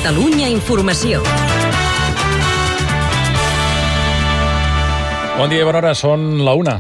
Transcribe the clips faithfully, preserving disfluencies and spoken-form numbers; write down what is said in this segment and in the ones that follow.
Catalunya Informació. Bon dia i bona hora, són la una.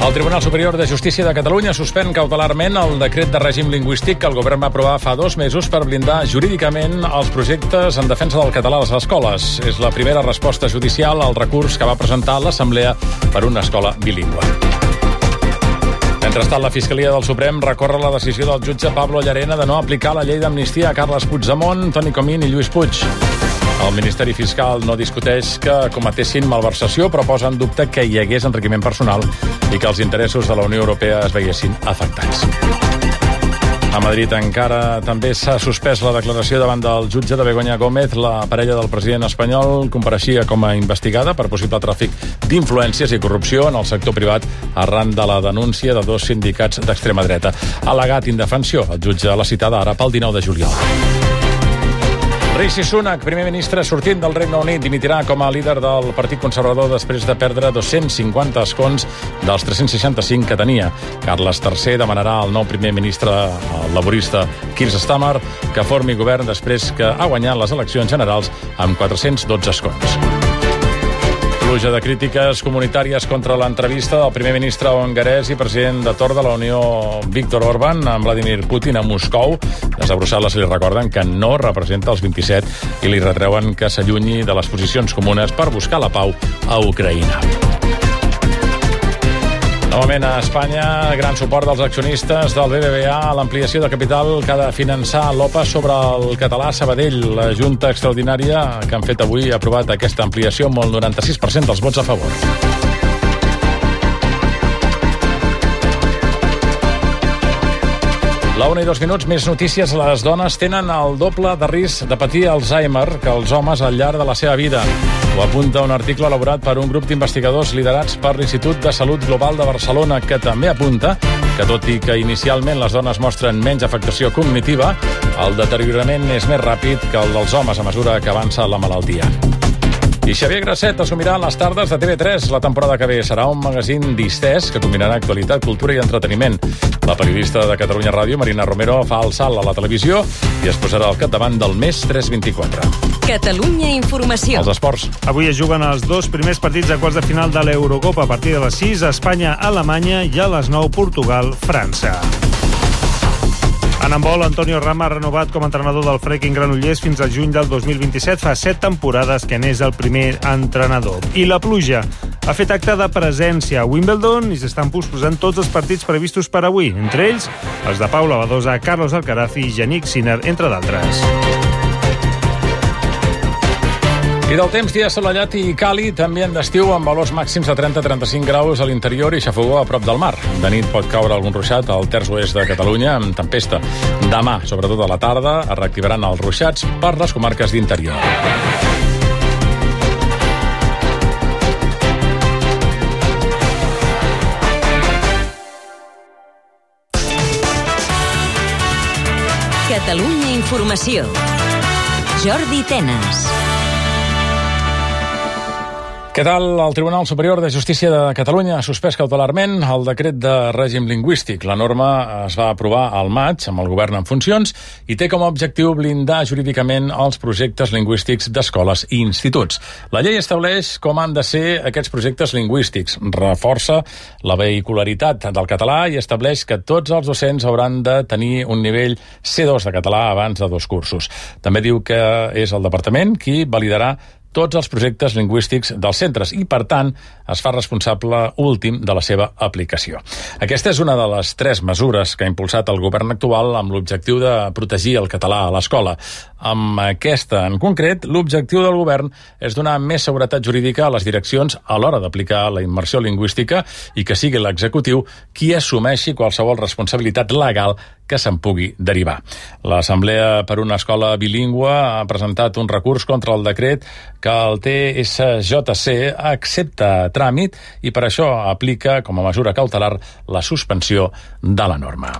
El Tribunal Superior de Justícia de Catalunya suspèn cautelarment el decret de règim lingüístic que el govern va aprovar fa dos mesos per blindar jurídicament els projectes en defensa del català a les escoles. És la primera resposta judicial al recurs que va presentar l'Assemblea per una escola bilingüe. Mentrestant, la Fiscalia del Suprem recorre la decisió del jutge Pablo Llarena de no aplicar la llei d'amnistia a Carles Puigdemont, Toni Comín i Lluís Puig. El Ministeri Fiscal no discuteix que cometessin malversació, però posa en dubte que hi hagués enriquiment personal i que els interessos de la Unió Europea es veiessin afectats. A Madrid encara també s'ha suspès la declaració davant del jutge de Begoña Gómez. La parella del president espanyol compareixia com a investigada per possible tràfic d'influències i corrupció en el sector privat arran de la denúncia de dos sindicats d'extrema dreta. Ha al·legat indefensió. El jutge l'ha citada ara pel dinou de juliol. Rishi Sunak, primer ministre sortint del Regne Unit, dimitirà com a líder del Partit Conservador després de perdre dos-cents cinquanta escons dels tres-cents seixanta-cinc que tenia. Carles tercer demanarà al nou primer ministre el laborista Keir Starmer que formi govern després que ha guanyat les eleccions generals amb quatre-cents dotze escons. Pluja de crítiques comunitàries contra l'entrevista del primer ministre hongarès i president de torn de la Unió Viktor Orbán amb Vladimir Putin a Moscou. Des de Brussel·les li recorden que no representa els vint-i-set i li retreuen que s'allunyi de les posicions comunes per buscar la pau a Ucraïna. Novament a Espanya, gran suport dels accionistes del B B V A a l'ampliació de capital que ha de finançar l'O P A sobre el català a Sabadell. La Junta Extraordinària que han fet avui ha aprovat aquesta ampliació amb el noranta-sis per cent dels vots a favor. La una i dos minuts, més notícies. Les dones tenen el doble de risc de patir Alzheimer que els homes al llarg de la seva vida. Ho apunta un article elaborat per un grup d'investigadors liderats per l'Institut de Salut Global de Barcelona, que també apunta que, tot i que inicialment les dones mostren menys afectació cognitiva, el deteriorament és més ràpid que el dels homes a mesura que avança la malaltia. I Xavier Grasset assumirà les tardes de T V tres. La temporada que ve serà un magazín distès que combinarà actualitat, cultura i entreteniment. La periodista de Catalunya Ràdio, Marina Romero, fa el salt a la televisió i es posarà al capdavant del Més tres vint-i-quatre. Catalunya Informació. Els esports. Avui es juguen els dos primers partits de quarts de final de l'Eurocopa. A partir de les sis, Espanya-Alemanya i a les nou, Portugal-França. En handbol, Antonio Rama ha renovat com a entrenador del Freaking Granollers fins al juny del dos mil vint-i-set. Fa set temporades que n'és el primer entrenador. I la pluja ha fet acte de presència a Wimbledon i s'estan posposant tots els partits previstos per avui, entre ells els de Paula Badosa, Carlos Alcaraz i Yannick Sinner, entre d'altres. I del temps, dia assolellat i càlid, ambient d'estiu amb valors màxims de trenta a trenta-cinc graus a l'interior i xafogó a prop del mar. De nit pot caure algun ruixat al terç oest de Catalunya amb tempesta. Demà, sobretot a la tarda, es reactivaran els ruixats per les comarques d'interior. Catalunya Informació. Jordi Tenas. Què tal? El Tribunal Superior de Justícia de Catalunya ha suspès cautelarment el decret de règim lingüístic. La norma es va aprovar al maig amb el govern en funcions i té com a objectiu blindar jurídicament els projectes lingüístics d'escoles i instituts. La llei estableix com han de ser aquests projectes lingüístics, reforça la vehicularitat del català i estableix que tots els docents hauran de tenir un nivell C dos de català abans de dos cursos. També diu que és el departament qui validarà tots els projectes lingüístics dels centres i, per tant, es fa responsable últim de la seva aplicació. Aquesta és una de les tres mesures que ha impulsat el govern actual amb l'objectiu de protegir el català a l'escola. Amb aquesta, en concret, l'objectiu del govern és donar més seguretat jurídica a les direccions a l'hora d'aplicar la immersió lingüística i que sigui l'executiu qui assumeixi qualsevol responsabilitat legal que se'n pugui derivar. L'Assemblea per una Escola Bilingüe ha presentat un recurs contra el decret que el T S J C accepta tràmit i per això aplica com a mesura cautelar la suspensió de la norma.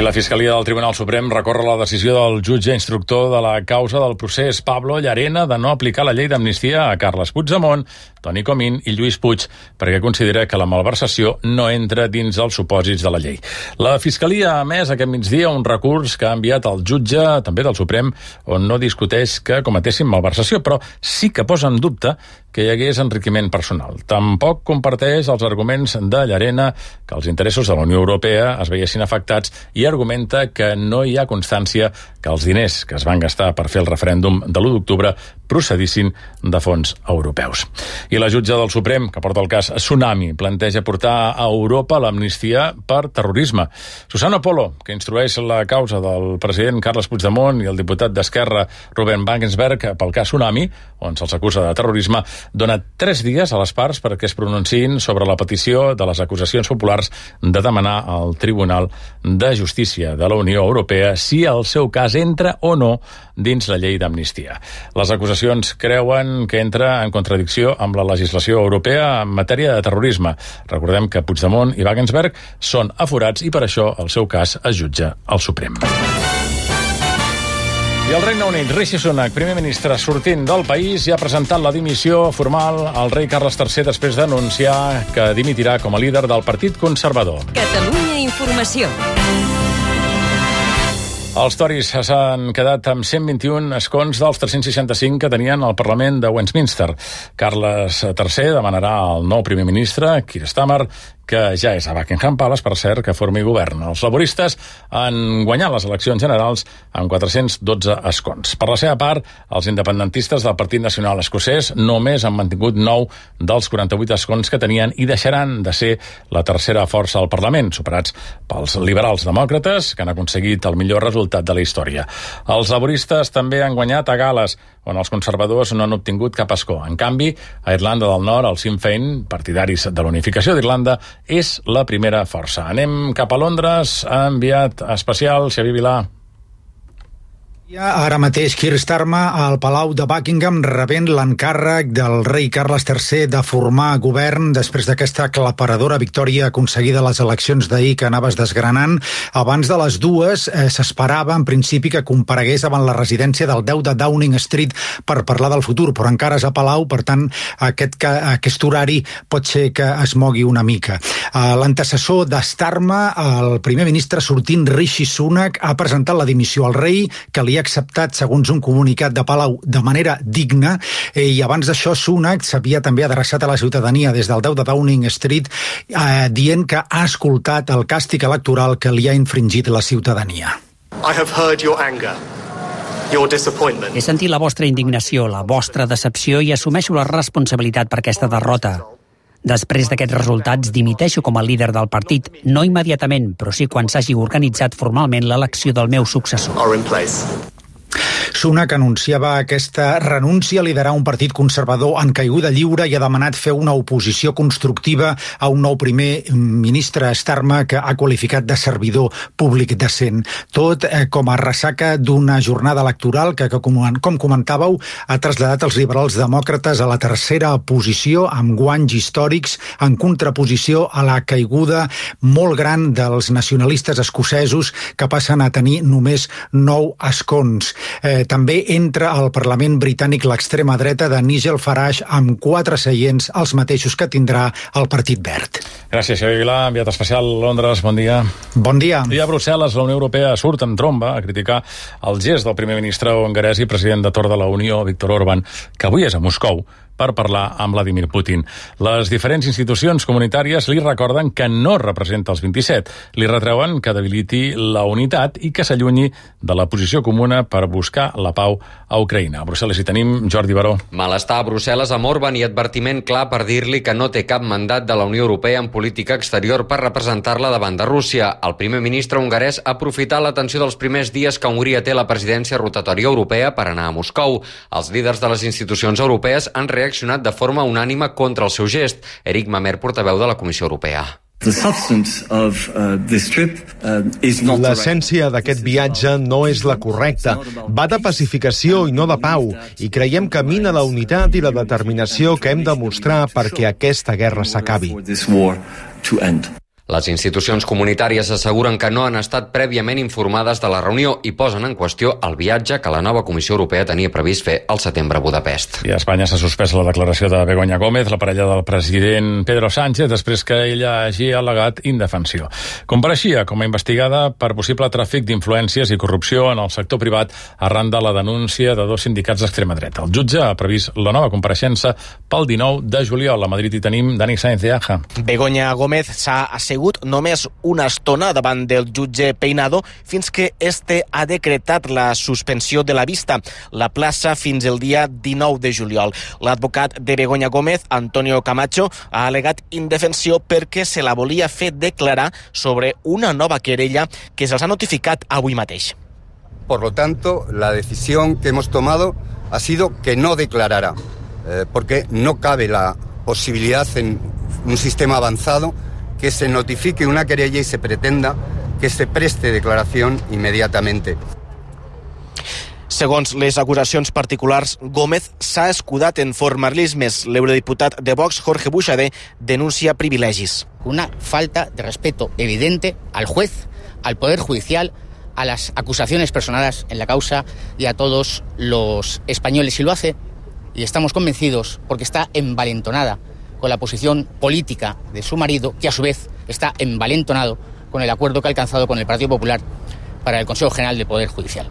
I la Fiscalia del Tribunal Suprem recorre la decisió del jutge instructor de la causa del procés Pablo Llarena de no aplicar la llei d'amnistia a Carles Puigdemont, Toni Comín i Lluís Puig, perquè considera que la malversació no entra dins els supòsits de la llei. La Fiscalia ha emès aquest migdia un recurs que ha enviat al jutge, també del Suprem, on no discuteix que cometessin malversació, però sí que posa en dubte que hi hagués enriquiment personal. Tampoc comparteix els arguments de Llarena que els interessos de la Unió Europea es veiessin afectats i argumenta que no hi ha constància que els diners que es van gastar per fer el referèndum de l'u d'octubre procedissin de fons europeus. I la jutge del Suprem, que porta el cas Tsunami, planteja portar a Europa l'amnistia per terrorisme. Susana Polo, que instrueix la causa del president Carles Puigdemont i el diputat d'Esquerra Ruben Wagensberg pel cas Tsunami, on se'ls acusa de terrorisme, dona tres dies a les parts perquè es pronunciïn sobre la petició de les acusacions populars de demanar al Tribunal de Justícia de la Unió Europea si el seu cas entra o no dins la llei d'amnistia. Les acusacions creuen que entra en contradicció amb la legislació europea en matèria de terrorisme. Recordem que Puigdemont i Wagensberg són aforats i per això el seu cas es jutja al Suprem. I el Regne Unit, Rishi Sunak, primer ministre sortint del país, ja ha presentat la dimissió formal al rei Carles tercer després d'anunciar que dimitirà com a líder del Partit Conservador. Catalunya Informació. Els Tories s'han quedat amb cent vint-i-un escons dels tres-cents seixanta-cinc que tenien al Parlament de Westminster. Carles tercer demanarà al nou primer ministre, Keir Starmer, que ja és a Buckingham Palace, per cert, que formi govern. Els laboristes han guanyat les eleccions generals amb quatre-cents dotze escons. Per la seva part, els independentistes del Partit Nacional Escocès només han mantingut nou dels quaranta-vuit escons que tenien i deixaran de ser la tercera força al Parlament, superats pels liberals demòcrates, que han aconseguit el millor resultat de la història. Els laboristes també han guanyat a Gales, on els conservadors no han obtingut cap escó. En canvi, a Irlanda del Nord, el Sinn Féin, partidaris de l'unificació d'Irlanda, és la primera força. Anem cap a Londres, ha enviat especial Xavier Vilà. Ara mateix Keir Starmer al Palau de Buckingham rebent l'encàrrec del rei Carles tercer de formar govern després d'aquesta aclaparadora victòria aconseguida a les eleccions d'ahir que anaves desgranant. Abans de les dues eh, s'esperava en principi que comparegués davant la residència del deu de Downing Street per parlar del futur, però encara és a Palau, per tant aquest, aquest horari pot ser que es mogui una mica. Eh, L'antecessor de Starmer, el primer ministre sortint Rishi Sunak, ha presentat la dimissió al rei, que li ha acceptat, segons un comunicat de Palau, de manera digna, eh, i abans d'això Sunak s'havia també adreçat a la ciutadania des del deu de Downing Street eh, dient que ha escoltat el càstig electoral que li ha infringit la ciutadania. I have heard your anger. He sentit la vostra indignació, la vostra decepció i assumeixo la responsabilitat per aquesta derrota. Després d'aquests resultats, dimiteixo com a líder del partit, no immediatament, però sí quan s'hagi organitzat formalment l'elecció del meu successor. Sunak anunciava aquesta renúncia a liderar un partit conservador en caiguda lliure i ha demanat fer una oposició constructiva a un nou primer ministre, Starmer, que ha qualificat de servidor públic decent. Tot eh, com a ressaca d'una jornada electoral que, que com, com comentàveu, ha traslladat els liberals demòcrates a la tercera posició amb guanys històrics en contraposició a la caiguda molt gran dels nacionalistes escocesos que passen a tenir només nou escons. Eh, també entra al Parlament britànic l'extrema dreta de Nigel Farage amb quatre seients, els mateixos que tindrà el Partit Verd. Gràcies, Xavier Vilà, enviat especial a Londres, bon dia. Bon dia. I a Brussel·les, la Unió Europea surt en tromba a criticar el gest del primer ministre hongarès i president de torn de la Unió, Viktor Orbán, que avui és a Moscou per parlar amb Vladimir Putin. Les diferents institucions comunitàries li recorden que no representa els vint-i-set. Li retreuen que debiliti la unitat i que s'allunyi de la posició comuna per buscar la pau a Ucraïna. A Brussel·les hi tenim Jordi Baró. Malestar a Brussel·les amb Orbán i advertiment clar per dir-li que no té cap mandat de la Unió Europea en política exterior per representar-la davant de Rússia. El primer ministre hongarès ha aprofitat l'atenció dels primers dies que Hongria té la presidència rotatòria europea per anar a Moscou. Els líders de les institucions europees han reaccionat reaccionat de forma unànime contra el seu gest. Eric Mamer, portaveu de la Comissió Europea. L'essència d'aquest viatge no és la correcta. Va de pacificació i no de pau, i creiem que mina la unitat i la determinació que hem de mostrar perquè aquesta guerra s'acabi. Les institucions comunitàries asseguren que no han estat prèviament informades de la reunió i posen en qüestió el viatge que la nova Comissió Europea tenia previst fer al setembre a Budapest. I a Espanya s'ha suspès la declaració de Begoña Gómez, la parella del president Pedro Sánchez, després que ella hagi al·legat indefensió. Compareixia com a investigada per possible tràfic d'influències i corrupció en el sector privat arran de la denúncia de dos sindicats d'extrema dreta. El jutge ha previst la nova compareixença pel dinou de juliol. A Madrid hi tenim Dani Sáenz de Aja. Begoña Gómez s'ha assegut només una estona davant del jutge Peinado fins que este ha decretat la suspensió de la vista. La plaça fins el dia dinou de juliol. L'advocat de Begoña Gómez, Antonio Camacho, ha al·legat indefensió perquè se la volia fer declarar sobre una nova querella que se'ls ha notificat avui mateix. Por lo tanto, la decisión que hemos tomado ha sido que no declarará, eh, porque no cabe la posibilidad en un sistema avanzado que se notifique una querella y se pretenda que se preste declaración inmediatamente. Segons les acusacions particulars, Gómez s'ha escudat en formalismes. L'eurodiputat de Vox, Jorge Buxadé, denuncia privilegis. Una falta de respeto evidente al juez, al Poder Judicial, a las acusaciones personadas en la causa y a todos los españoles. Y lo hace, y estamos convencidos, porque está envalentonada con la posición política de su marido, que a su vez está envalentonado con el acuerdo que ha alcanzado con el Partido Popular para el Consejo General del Poder Judicial.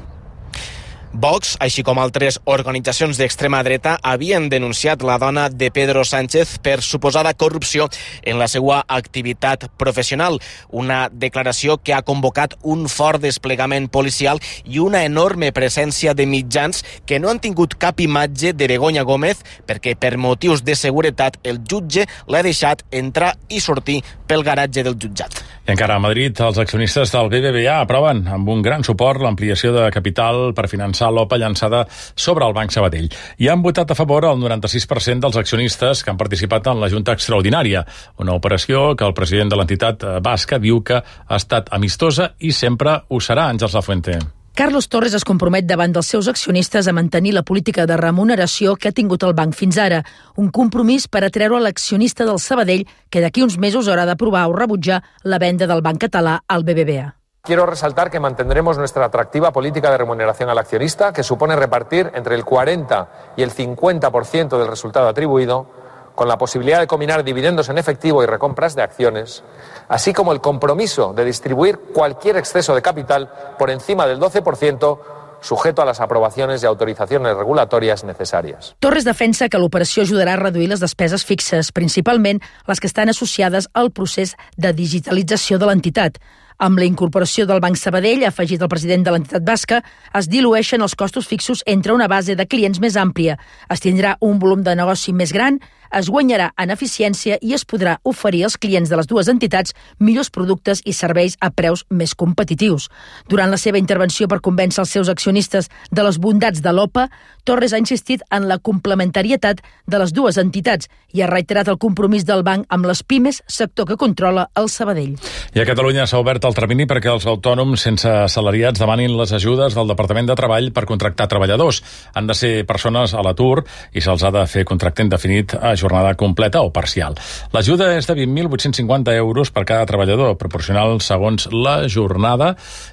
Vox, així com altres organitzacions d'extrema dreta, havien denunciat la dona de Pedro Sánchez per suposada corrupció en la seva activitat professional. Una declaració que ha convocat un fort desplegament policial i una enorme presència de mitjans que no han tingut cap imatge de Begoña Gómez perquè per motius de seguretat el jutge l'ha deixat entrar i sortir pel garatge del jutjat. I encara a Madrid, els accionistes del B B V A aproven amb un gran suport l'ampliació de capital per finançar l'O P A llançada sobre el Banc Sabadell. I han votat a favor el noranta-sis per cent dels accionistes que han participat en la Junta Extraordinària, una operació que el president de l'entitat basca diu que ha estat amistosa i sempre ho serà. Àngels Lafuente. Carlos Torres es compromet davant dels seus accionistes a mantenir la política de remuneració que ha tingut el banc fins ara, un compromís per atreure l'accionista del Sabadell que d'aquí uns mesos haurà d'aprovar o rebutjar la venda del banc català al B B V A. Quiero resaltar que mantendremos nuestra atractiva política de remuneración al accionista, que supone repartir entre el cuarenta y el cincuenta por ciento del resultado atribuido, con la posibilidad de combinar dividendos en efectivo y recompras de acciones, así como el compromiso de distribuir cualquier exceso de capital por encima del doce por ciento, sujeto a las aprobaciones y autorizaciones regulatorias necesarias. Torres defensa que l'operació ajudarà a reduir les despeses fixes, principalment les que estan associades al procés de digitalització de l'entitat. Amb la incorporació del Banc Sabadell, ha afegit el president de l'entitat basca, es dilueixen els costos fixos entre una base de clients més àmplia, es tindrà un volum de negoci més gran, es guanyarà en eficiència i es podrà oferir als clients de les dues entitats millors productes i serveis a preus més competitius. Durant la seva intervenció per convèncer els seus accionistes de les bondats de l'O P A, Torres ha insistit en la complementarietat de les dues entitats i ha reiterat el compromís del banc amb les pimes, sector que controla el Sabadell. I a Catalunya s'ha obert el termini perquè els autònoms sense assalariats demanin les ajudes del Departament de Treball per contractar treballadors. Han de ser persones a l'atur i se'ls ha de fer contracte indefinit a jornada completa o parcial. L'ajuda és de vint mil vuit-cents cinquanta euros per cada treballador, proporcional segons la jornada,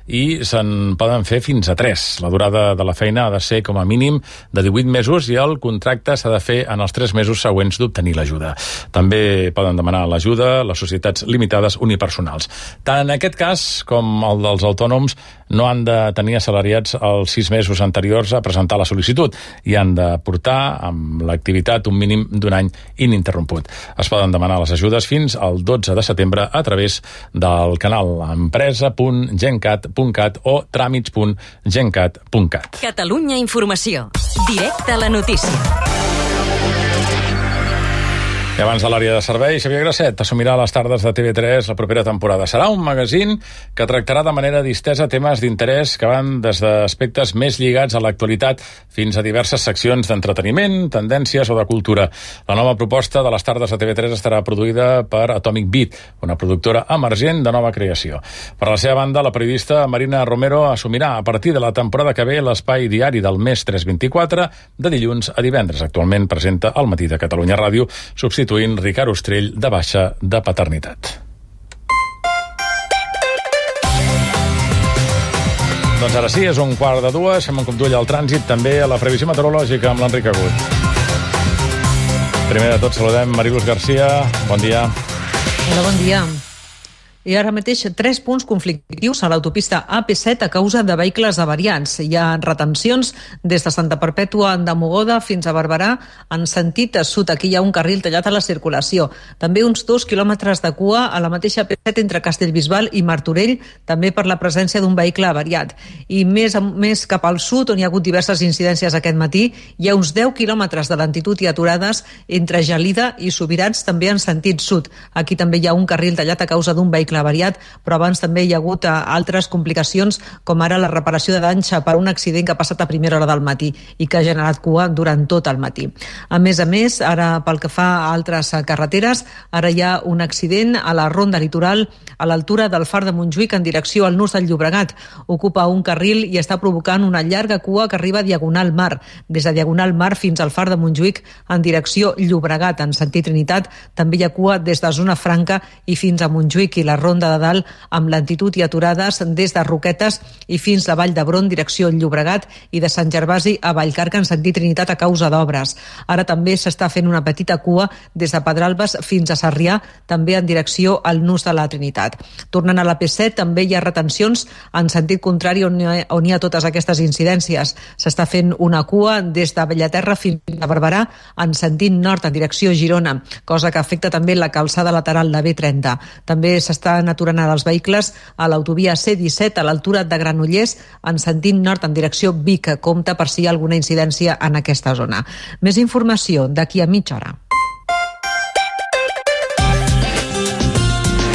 i se'n poden fer fins a tres. La durada de la feina ha de ser com a mínim de divuit mesos i el contracte s'ha de fer en els tres mesos següents d'obtenir l'ajuda. També poden demanar l'ajuda les societats limitades unipersonals. Tant en aquest cas com el dels autònoms no han de tenir assalariats els sis mesos anteriors a presentar la sol·licitud i han de portar amb l'activitat un mínim d'un any ininterromput. Es poden demanar les ajudes fins al dotze de setembre a través del canal empresa punt gencat punt cat o tràmits punt gencat punt cat. Catalunya Informació. Directe a la notícia. I abans de l'àrea de servei, Xavier Grasset assumirà a les tardes de T V tres la propera temporada. Serà un magazín que tractarà de manera distesa temes d'interès que van des d'aspectes més lligats a l'actualitat fins a diverses seccions d'entreteniment, tendències o de cultura. La nova proposta de les tardes de T V tres estarà produïda per Atomic Beat, una productora emergent de nova creació. Per la seva banda, la periodista Marina Romero assumirà a partir de la temporada que ve l'espai diari del Més tres vint-i-quatre de dilluns a divendres. Actualment presenta al Matí de Catalunya Ràdio, substituint Ricard Ostrell de baixa de paternitat. Doncs ara sí, és un quart de dues, fem un cop d'ull al trànsit, també a la previsió meteorològica amb l'Enric Agut. Primer de tot saludem Mariluz Garcia, bon dia. Hola, bon dia. I ara mateix tres punts conflictius a l'autopista A P set a causa de vehicles avariats. Hi ha retencions des de Santa Perpètua de Mogoda fins a Barberà en sentit sud. Aquí hi ha un carril tallat a la circulació. També uns dos quilòmetres de cua a la mateixa A P set entre Castellbisbal i Martorell, també per la presència d'un vehicle avariat. I més, més cap al sud, on hi ha hagut diverses incidències aquest matí, hi ha uns deu quilòmetres de lentitud i aturades entre Gelida i Subirats, també en sentit sud. Aquí també hi ha un carril tallat a causa d'un vehicle avariat, però abans també hi ha hagut altres complicacions, com ara la reparació de danys per un accident que ha passat a primera hora del matí i que ha generat cua durant tot el matí. A més a més, ara pel que fa a altres carreteres, ara hi ha un accident a la ronda litoral a l'altura del Far de Montjuïc en direcció al Nus del Llobregat. Ocupa un carril i està provocant una llarga cua que arriba a Diagonal Mar, des de Diagonal Mar fins al Far de Montjuïc en direcció Llobregat. En sentit Trinitat també hi ha cua des de Zona Franca i fins a Montjuïc i la Ronda de Dalt amb lentitud i aturades des de Roquetes i fins a Vall d'Hebron, direcció Llobregat, i de Sant Gervasi a Vallcarca en sentit Trinitat a causa d'obres. Ara també s'està fent una petita cua des de Pedralbes fins a Sarrià, també en direcció al Nus de la Trinitat. Tornant a la P set, també hi ha retencions en sentit contrari on hi ha, on hi ha totes aquestes incidències. S'està fent una cua des de Bellaterra fins a Barberà en sentit nord en direcció Girona, cosa que afecta també la calçada lateral de B trenta. També s'està aturant els vehicles a l'autovia C disset a l'altura de Granollers en sentit nord en direcció Vic. Compte per si hi ha alguna incidència en aquesta zona. Més informació d'aquí a mitja hora.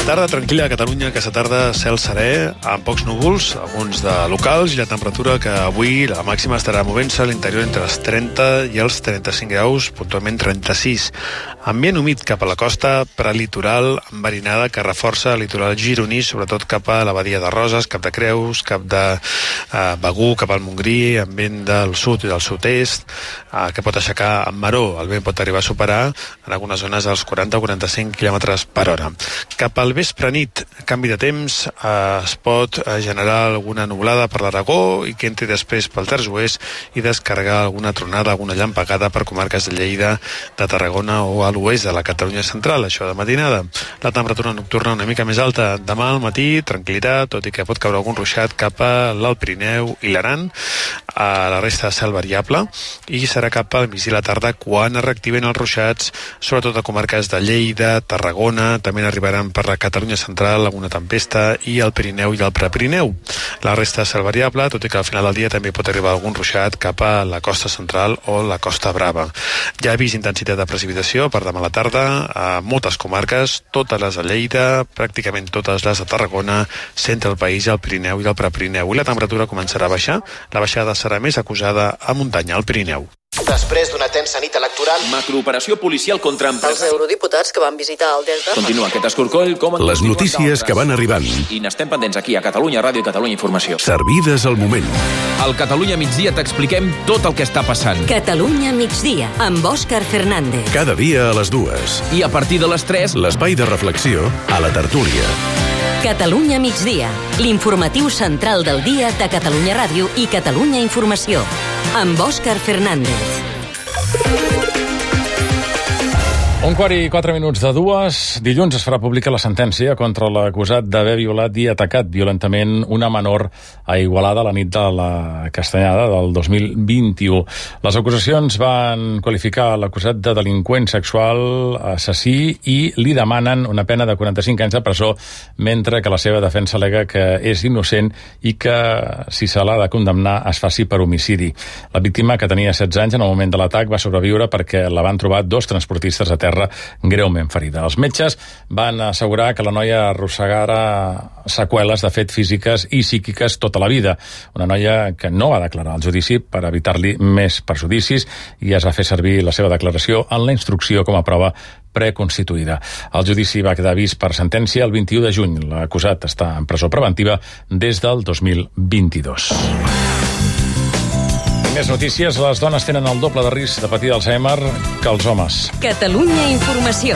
Tarda tranquil·la a Catalunya, aquesta tarda cel serè, amb pocs núvols, alguns de locals, i la temperatura que avui la màxima estarà movent-se a l'interior entre els trenta i els trenta-cinc graus, puntualment trenta-sis. Ambient humit cap a la costa, prelitoral, enverinada, que reforça el litoral gironí, sobretot cap a la badia de Roses, cap de Creus, cap de eh, Begur, cap al Montgrí, ambient del sud i del sud-est, eh, que pot aixecar en maró. El vent pot arribar a superar en algunes zones els quaranta o quaranta-cinc quilòmetres per hora. Cap al vespre nit, canvi de temps, eh, es pot generar alguna nuvolada per l'Aragó i que entri després pel terç oest i descarregar alguna tronada, alguna llampegada per comarques de Lleida, de Tarragona o a l'oest de la Catalunya central, això de matinada. La temperatura nocturna una mica més alta demà al matí, tranquil·litat, tot i que pot caure algun ruixat cap a l'Alt Pirineu i l'Aran, a la resta de cel variable, i serà cap al migdia i la tarda quan es reactiven els ruixats, sobretot a comarques de Lleida, Tarragona, també n'arribaran per la Catalunya central alguna tempesta i el Pirineu i el Prepirineu. La resta de cel variable, tot i que al final del dia també pot arribar algun ruixat cap a la costa central o la Costa Brava. Ja he vist intensitat de precipitació per demà a la tarda a moltes comarques, totes les de Lleida, pràcticament totes les de Tarragona, centre del país, el Pirineu i el Prepirineu. I la temperatura començarà a baixar. La baixada serà més acusada a muntanya, al Pirineu. Després d'una tensa nit electoral... Macrooperació policial contra empreses... Els eurodiputats que van visitar el Delta... Continua aquest escorcoll... Com les notícies que van arribant. I n'estem pendents aquí, a Catalunya Ràdio i Catalunya Informació. Servides al moment. Al Catalunya Migdia t'expliquem tot el que està passant. Catalunya Migdia, amb Òscar Fernández. Cada dia a les dues. I a partir de les tres... l'espai de reflexió a la tertúlia. Catalunya Migdia, l'informatiu central del dia de Catalunya Ràdio i Catalunya Informació, amb Òscar Fernández. Un quart i quatre minuts de dues. Dilluns es farà pública la sentència contra l'acusat d'haver violat i atacat violentament una menor a Igualada la nit de la Castanyada del dos mil vint-i-u. Les acusacions van qualificar l'acusat de delinqüent sexual, assassí, i li demanen una pena de quaranta-cinc anys de presó, mentre que la seva defensa al·lega que és innocent i que, si se l'ha de condemnar, es faci per homicidi. La víctima, que tenia setze anys en el moment de l'atac, va sobreviure perquè la van trobar dos transportistes a terra greument ferida. Els metges van assegurar que la noia arrossegara seqüeles, de fet, físiques i psíquiques tota la vida. Una noia que no va declarar al judici per evitar-li més perjudicis i es va fer servir la seva declaració en la instrucció com a prova preconstituïda. El judici va quedar vist per sentència el vint-i-u de juny. L'acusat està en presó preventiva des del dos mil vint-i-dos. Més notícies. Les dones tenen el doble de risc de patir d'Alzheimer que els homes. Catalunya Informació.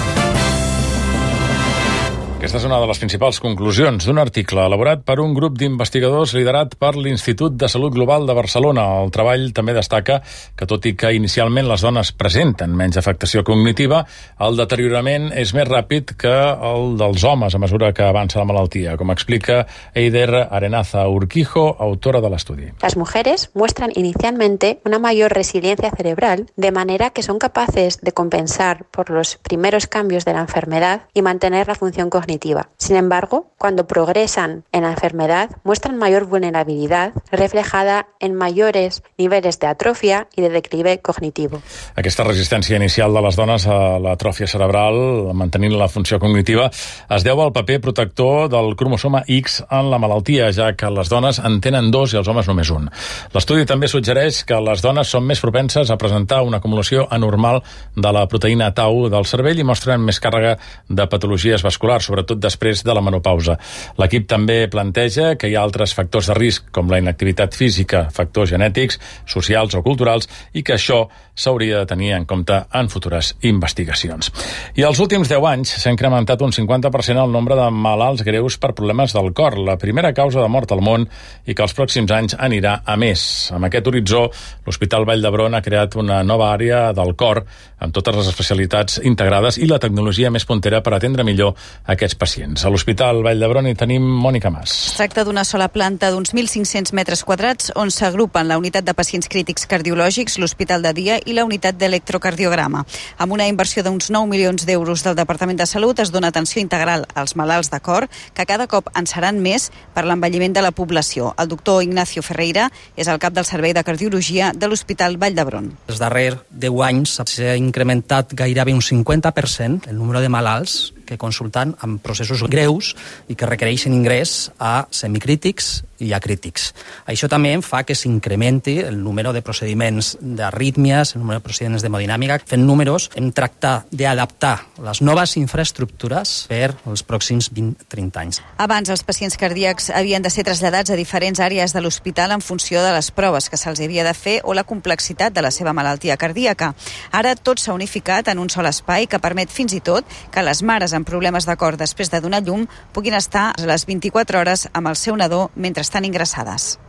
Aquesta és una de les principals conclusions d'un article elaborat per un grup d'investigadors liderat per l'Institut de Salut Global de Barcelona. El treball també destaca que, tot i que inicialment les dones presenten menys afectació cognitiva, el deteriorament és més ràpid que el dels homes a mesura que avança la malaltia, com explica Eider Arenaza Urquijo, autora de l'estudi. Las mujeres muestran inicialmente una mayor resiliencia cerebral, de manera que son capaces de compensar por los primeros cambios de la enfermedad y mantener la función cognitiva. Sin embargo, cuando progresan en la enfermedad, muestran mayor vulnerabilidad, reflejada en mayores niveles de atrofia y de declive cognitivo. Aquesta resistència inicial de les dones a l'atròfia cerebral, mantenint la funció cognitiva, es deu al paper protector del cromosoma X en la malaltia, ja que les dones en tenen dos i els homes només un. L'estudi també suggereix que les dones són més propenses a presentar una acumulació anormal de la proteïna tau del cervell i mostren més càrrega de patologies vasculars, sobretot després de la menopausa. L'equip també planteja que hi ha altres factors de risc, com la inactivitat física, factors genètics, socials o culturals, i que això s'hauria de tenir en compte en futures investigacions. I els últims deu anys s'ha incrementat un cinquanta per cent el nombre de malalts greus per problemes del cor, la primera causa de mort al món, i que els pròxims anys anirà a més. Amb aquest horitzó, l'Hospital Vall d'Hebron ha creat una nova àrea del cor amb totes les especialitats integrades i la tecnologia més puntera per atendre millor aquests pacients. A l'Hospital Vall d'Hebron hi tenim Mònica Mas. Es tracta d'una sola planta d'uns mil cinc-cents metres quadrats on s'agrupen la unitat de pacients crítics cardiològics, l'hospital de dia i la unitat d'electrocardiograma. Amb una inversió d'uns nou milions d'euros del Departament de Salut es dona atenció integral als malalts de cor, que cada cop en seran més per l'envelliment de la població. El doctor Ignacio Ferreira és el cap del Servei de Cardiologia de l'Hospital Vall d'Hebron. Els darrers deu anys s'ha incrementat gairebé un cinquanta per cent el número de malalts que consulten amb processos greus i que requereixen ingrés a semicrítics i a crítics. Això també fa que s'incrementi el número de procediments d'arrítmies, el número de procediments d'hemodinàmica. Fent números, hem tractat d'adaptar les noves infraestructures per als pròxims vint a trenta anys. Abans, els pacients cardíacs havien de ser traslladats a diferents àrees de l'hospital en funció de les proves que se'ls havia de fer o la complexitat de la seva malaltia cardíaca. Ara tot s'ha unificat en un sol espai que permet fins i tot que les mares amb problemes de cor després de donar llum puguin estar a les vint-i-quatre hores amb el seu nadó mentre estan ingressades.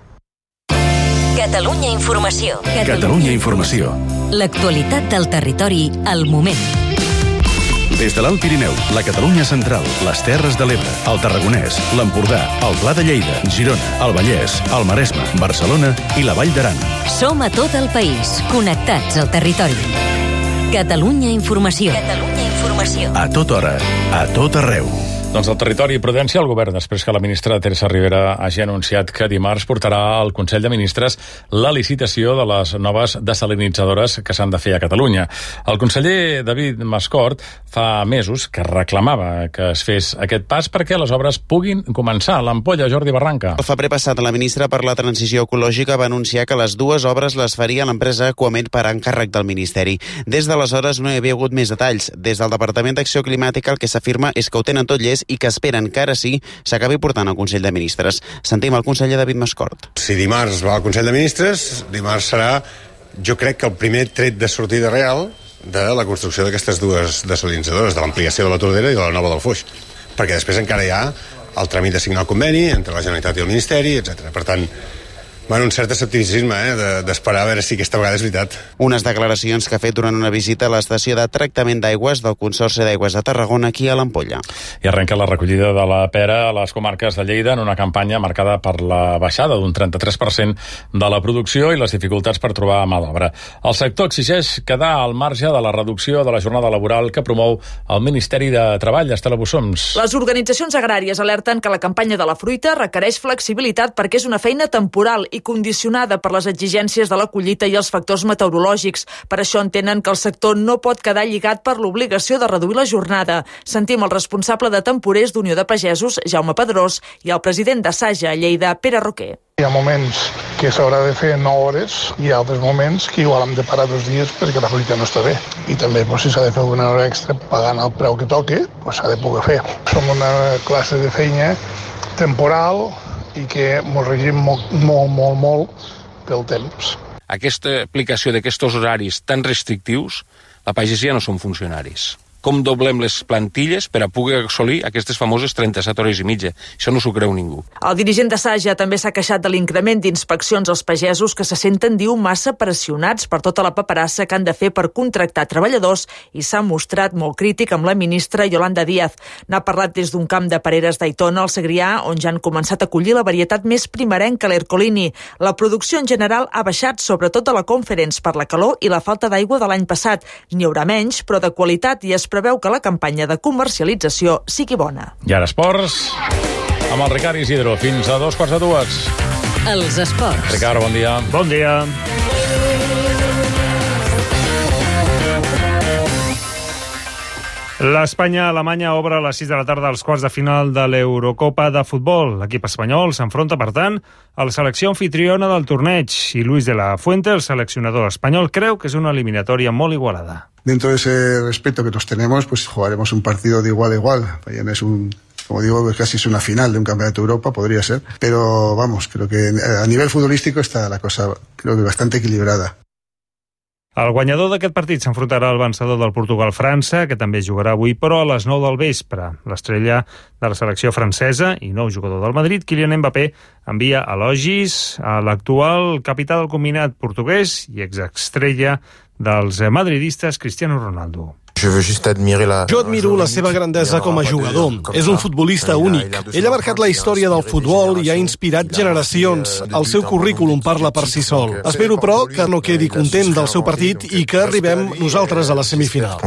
Catalunya Informació. Catalunya Informació. L'actualitat del territori al moment. Des de l'Alt Pirineu, la Catalunya Central, les Terres de l'Ebre, el Tarragonès, l'Empordà, el Pla de Lleida, Girona, el Vallès, el Maresme, Barcelona i la Vall d'Aran. Som a tot el país, connectats al territori. Catalunya Informació. Catalunya Informació. A tota hora, a tot arreu. Doncs el territori i prudència al govern, després que la ministra Teresa Rivera hagi anunciat que dimarts portarà al Consell de Ministres la licitació de les noves desalinitzadores que s'han de fer a Catalunya. El conseller David Mascort fa mesos que reclamava que es fes aquest pas perquè les obres puguin començar. L'Ampolla, Jordi Barranca. El febrer passat, la ministra per la Transició Ecològica va anunciar que les dues obres les faria l'empresa Aquamed per encàrrec del Ministeri. Des d'aleshores no hi havia hagut més detalls. Des del Departament d'Acció Climàtica el que s'afirma és que ho tenen tot llest i que esperen que ara sí s'acabi portant al Consell de Ministres. Sentim el conseller David Mascort. Si dimarts va al Consell de Ministres, dimarts serà, jo crec que el primer tret de sortida real de la construcció d'aquestes dues desalinitzadores, de l'ampliació de la Tordera i de la nova del Foix. Perquè després encara hi ha el tràmit de signar el conveni entre la Generalitat i el Ministeri, etcètera. Per tant, bueno, un cert escepticisme, eh, d'esperar a veure si aquesta vegada és veritat. Unes declaracions que ha fet durant una visita a l'estació de tractament d'aigües del Consorci d'Aigües de Tarragona, aquí a l'Ampolla. I arrenca la recollida de la pera a les comarques de Lleida en una campanya marcada per la baixada d'un trenta-tres per cent de la producció i les dificultats per trobar mà d'obra. El sector exigeix quedar al marge de la reducció de la jornada laboral que promou el Ministeri de Treball. Estela Bussoms. Les organitzacions agràries alerten que la campanya de la fruita requereix flexibilitat perquè és una feina temporal i condicionada per les exigències de la collita i els factors meteorològics. Per això entenen que el sector no pot quedar lligat per l'obligació de reduir la jornada. Sentim el responsable de temporers d'Unió de Pagesos, Jaume Pedrós, i el president de Saja a Lleida, Pere Roquer. Hi ha moments que s'haurà de fer nou hores i altres moments que igual hem de parar dos dies perquè la fruita no està bé. I també pues, si s'ha de fer alguna hora extra pagant el preu que toque, pues, s'ha de poder fer. Som una classe de feina temporal i que ens regim molt, molt, molt, molt pel temps. Aquesta aplicació d'aquests horaris tan restrictius, la pagesia no són funcionaris. com doblem les plantilles per a poder assolir aquestes famoses trenta-set hores i mitja. Això no s'ho creu ningú. El dirigent de Saja també s'ha queixat de l'increment d'inspeccions als pagesos que se senten, diu, massa pressionats per tota la paperassa que han de fer per contractar treballadors i s'ha mostrat molt crític amb la ministra Yolanda Díaz. N'ha parlat des d'un camp de pereres d'Aitona, al Segrià, on ja han començat a collir la varietat més primerenca, l'Ercolini. La producció en general ha baixat, sobretot a la Conference, per la calor i la falta d'aigua de l'any passat. N'hi haurà menys, però de qualitat, i es preveu que la campanya de comercialització sigui bona. I ara esports, amb el Ricard Isidro, fins a dos quarts de dues. Els esports. Ricard, bon dia. Bon dia. L'Espanya-Alemanya obre a les sis de la tarda els quarts de final de l'Eurocopa de futbol. L'equip espanyol s'enfronta, per tant, a la selecció anfitriona del torneig i Luis de la Fuente, el seleccionador espanyol, creu que és una eliminatòria molt igualada. Dentro de ese respeto que todos tenemos, pues jugaremos un partido de igual a igual. Bayern es un, como digo, casi es una final de un campeonato de Europa, podría ser. Pero vamos, creo que a nivel futbolístico está la cosa, creo que bastante equilibrada. El guanyador d'aquest partit s'enfrontarà al vencedor del Portugal-França, que també jugarà avui, però a les nou del vespre. L'estrella de la selecció francesa i nou jugador del Madrid, Kylian Mbappé, envia elogis a l'actual capità del combinat portuguès i exestrella dels madridistes, Cristiano Ronaldo. Jo admiro la seva grandesa com a jugador. És un futbolista únic. Ell ha marcat la història del futbol i ha inspirat generacions. El seu currículum parla per si sol. Espero, però, que no quedi content del seu partit i que arribem nosaltres a la semifinal.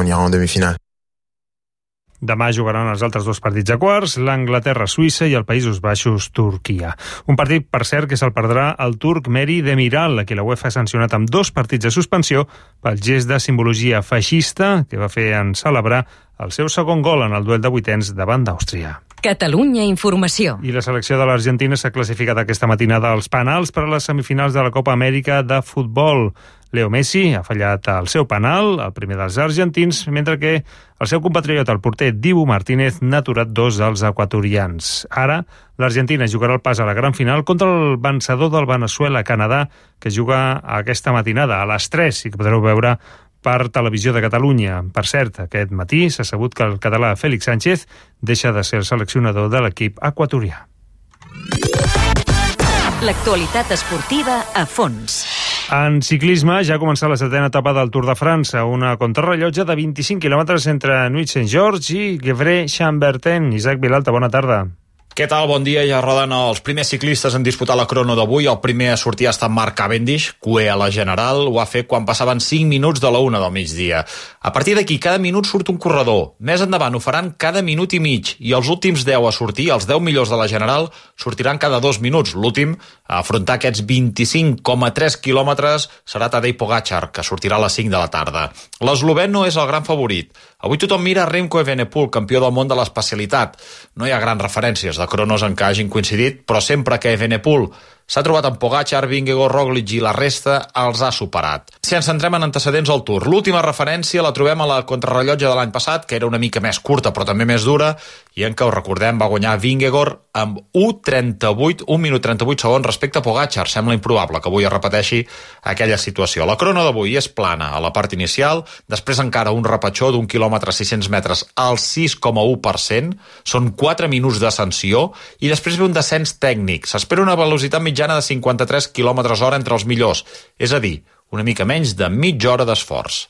Demà jugaran els altres dos partits a quarts, l'Anglaterra-Suïssa i el Països Baixos-Turquia. Un partit, per cert, que se'l perdrà el turc Meri Demiral, a qui la UEFA ha sancionat amb dos partits de suspensió pel gest de simbologia feixista que va fer en celebrar el seu segon gol en el duel de vuitens davant d'Àustria. Catalunya Informació. I la selecció de l'Argentina s'ha classificat aquesta matinada als penals per a les semifinals de la Copa Amèrica de futbol. Leo Messi ha fallat el seu penal, el primer dels argentins, mentre que el seu compatriota, el porter Dibu Martínez, n'ha aturat dos dels equatorians. Ara, l'Argentina jugarà el pas a la gran final contra el vencedor del Venezuela-Canadà, que juga aquesta matinada a les tres i que podreu veure per Televisió de Catalunya. Per cert, aquest matí s'ha sabut que el català Félix Sánchez deixa de ser el seleccionador de l'equip equatorià. L'actualitat esportiva a fons. En ciclisme ja ha començat la setena etapa del Tour de França, una contrarrellotge de vint-i-cinc quilòmetres entre Nuit-Saint-Georges i Gevrey-Chambertin. Isaac Vilalta, bona tarda. Què tal? Bon dia. Ja roden els primers ciclistes en disputar la crono d'avui. El primer a sortir ha estat Mark Cavendish, cué a la general. Ho ha fet quan passaven cinc minuts de la una del migdia. A partir d'aquí, cada minut surt un corredor. Més endavant ho faran cada minut i mig. I els últims deu a sortir, els deu millors de la general, sortiran cada dos minuts. L'últim a afrontar aquests vint-i-cinc coma tres quilòmetres serà Tadej Pogačar, que sortirà a les cinc de la tarda. L'eslovè no és el gran favorit. Avui tothom mira Remco Evenepoel, campió del món de l'especialitat. No hi ha grans referències de cronos en què hagin coincidit, però sempre que Evenepoel s'ha trobat amb Pogačar, Vingegaard, Roglic i la resta els ha superat. Si ens centrem en antecedents al Tour, l'última referència la trobem a la contrarrellotge de l'any passat, que era una mica més curta però també més dura, i en què, ho recordem, va guanyar Vingegaard amb un trenta-vuit, un minut trenta-vuit segons respecte a Pogačar. Sembla improbable que avui es repeteixi aquella situació. La crono d'avui és plana a la part inicial, després encara un repatxó d'un quilòmetre sis-cents metres al sis coma u per cent, són quatre minuts d'ascensió, i després ve un descens tècnic. S'espera una velocitat mitjana de cinquanta-tres quilòmetres hora entre els millors, és a dir, una mica menys de mitja hora d'esforç.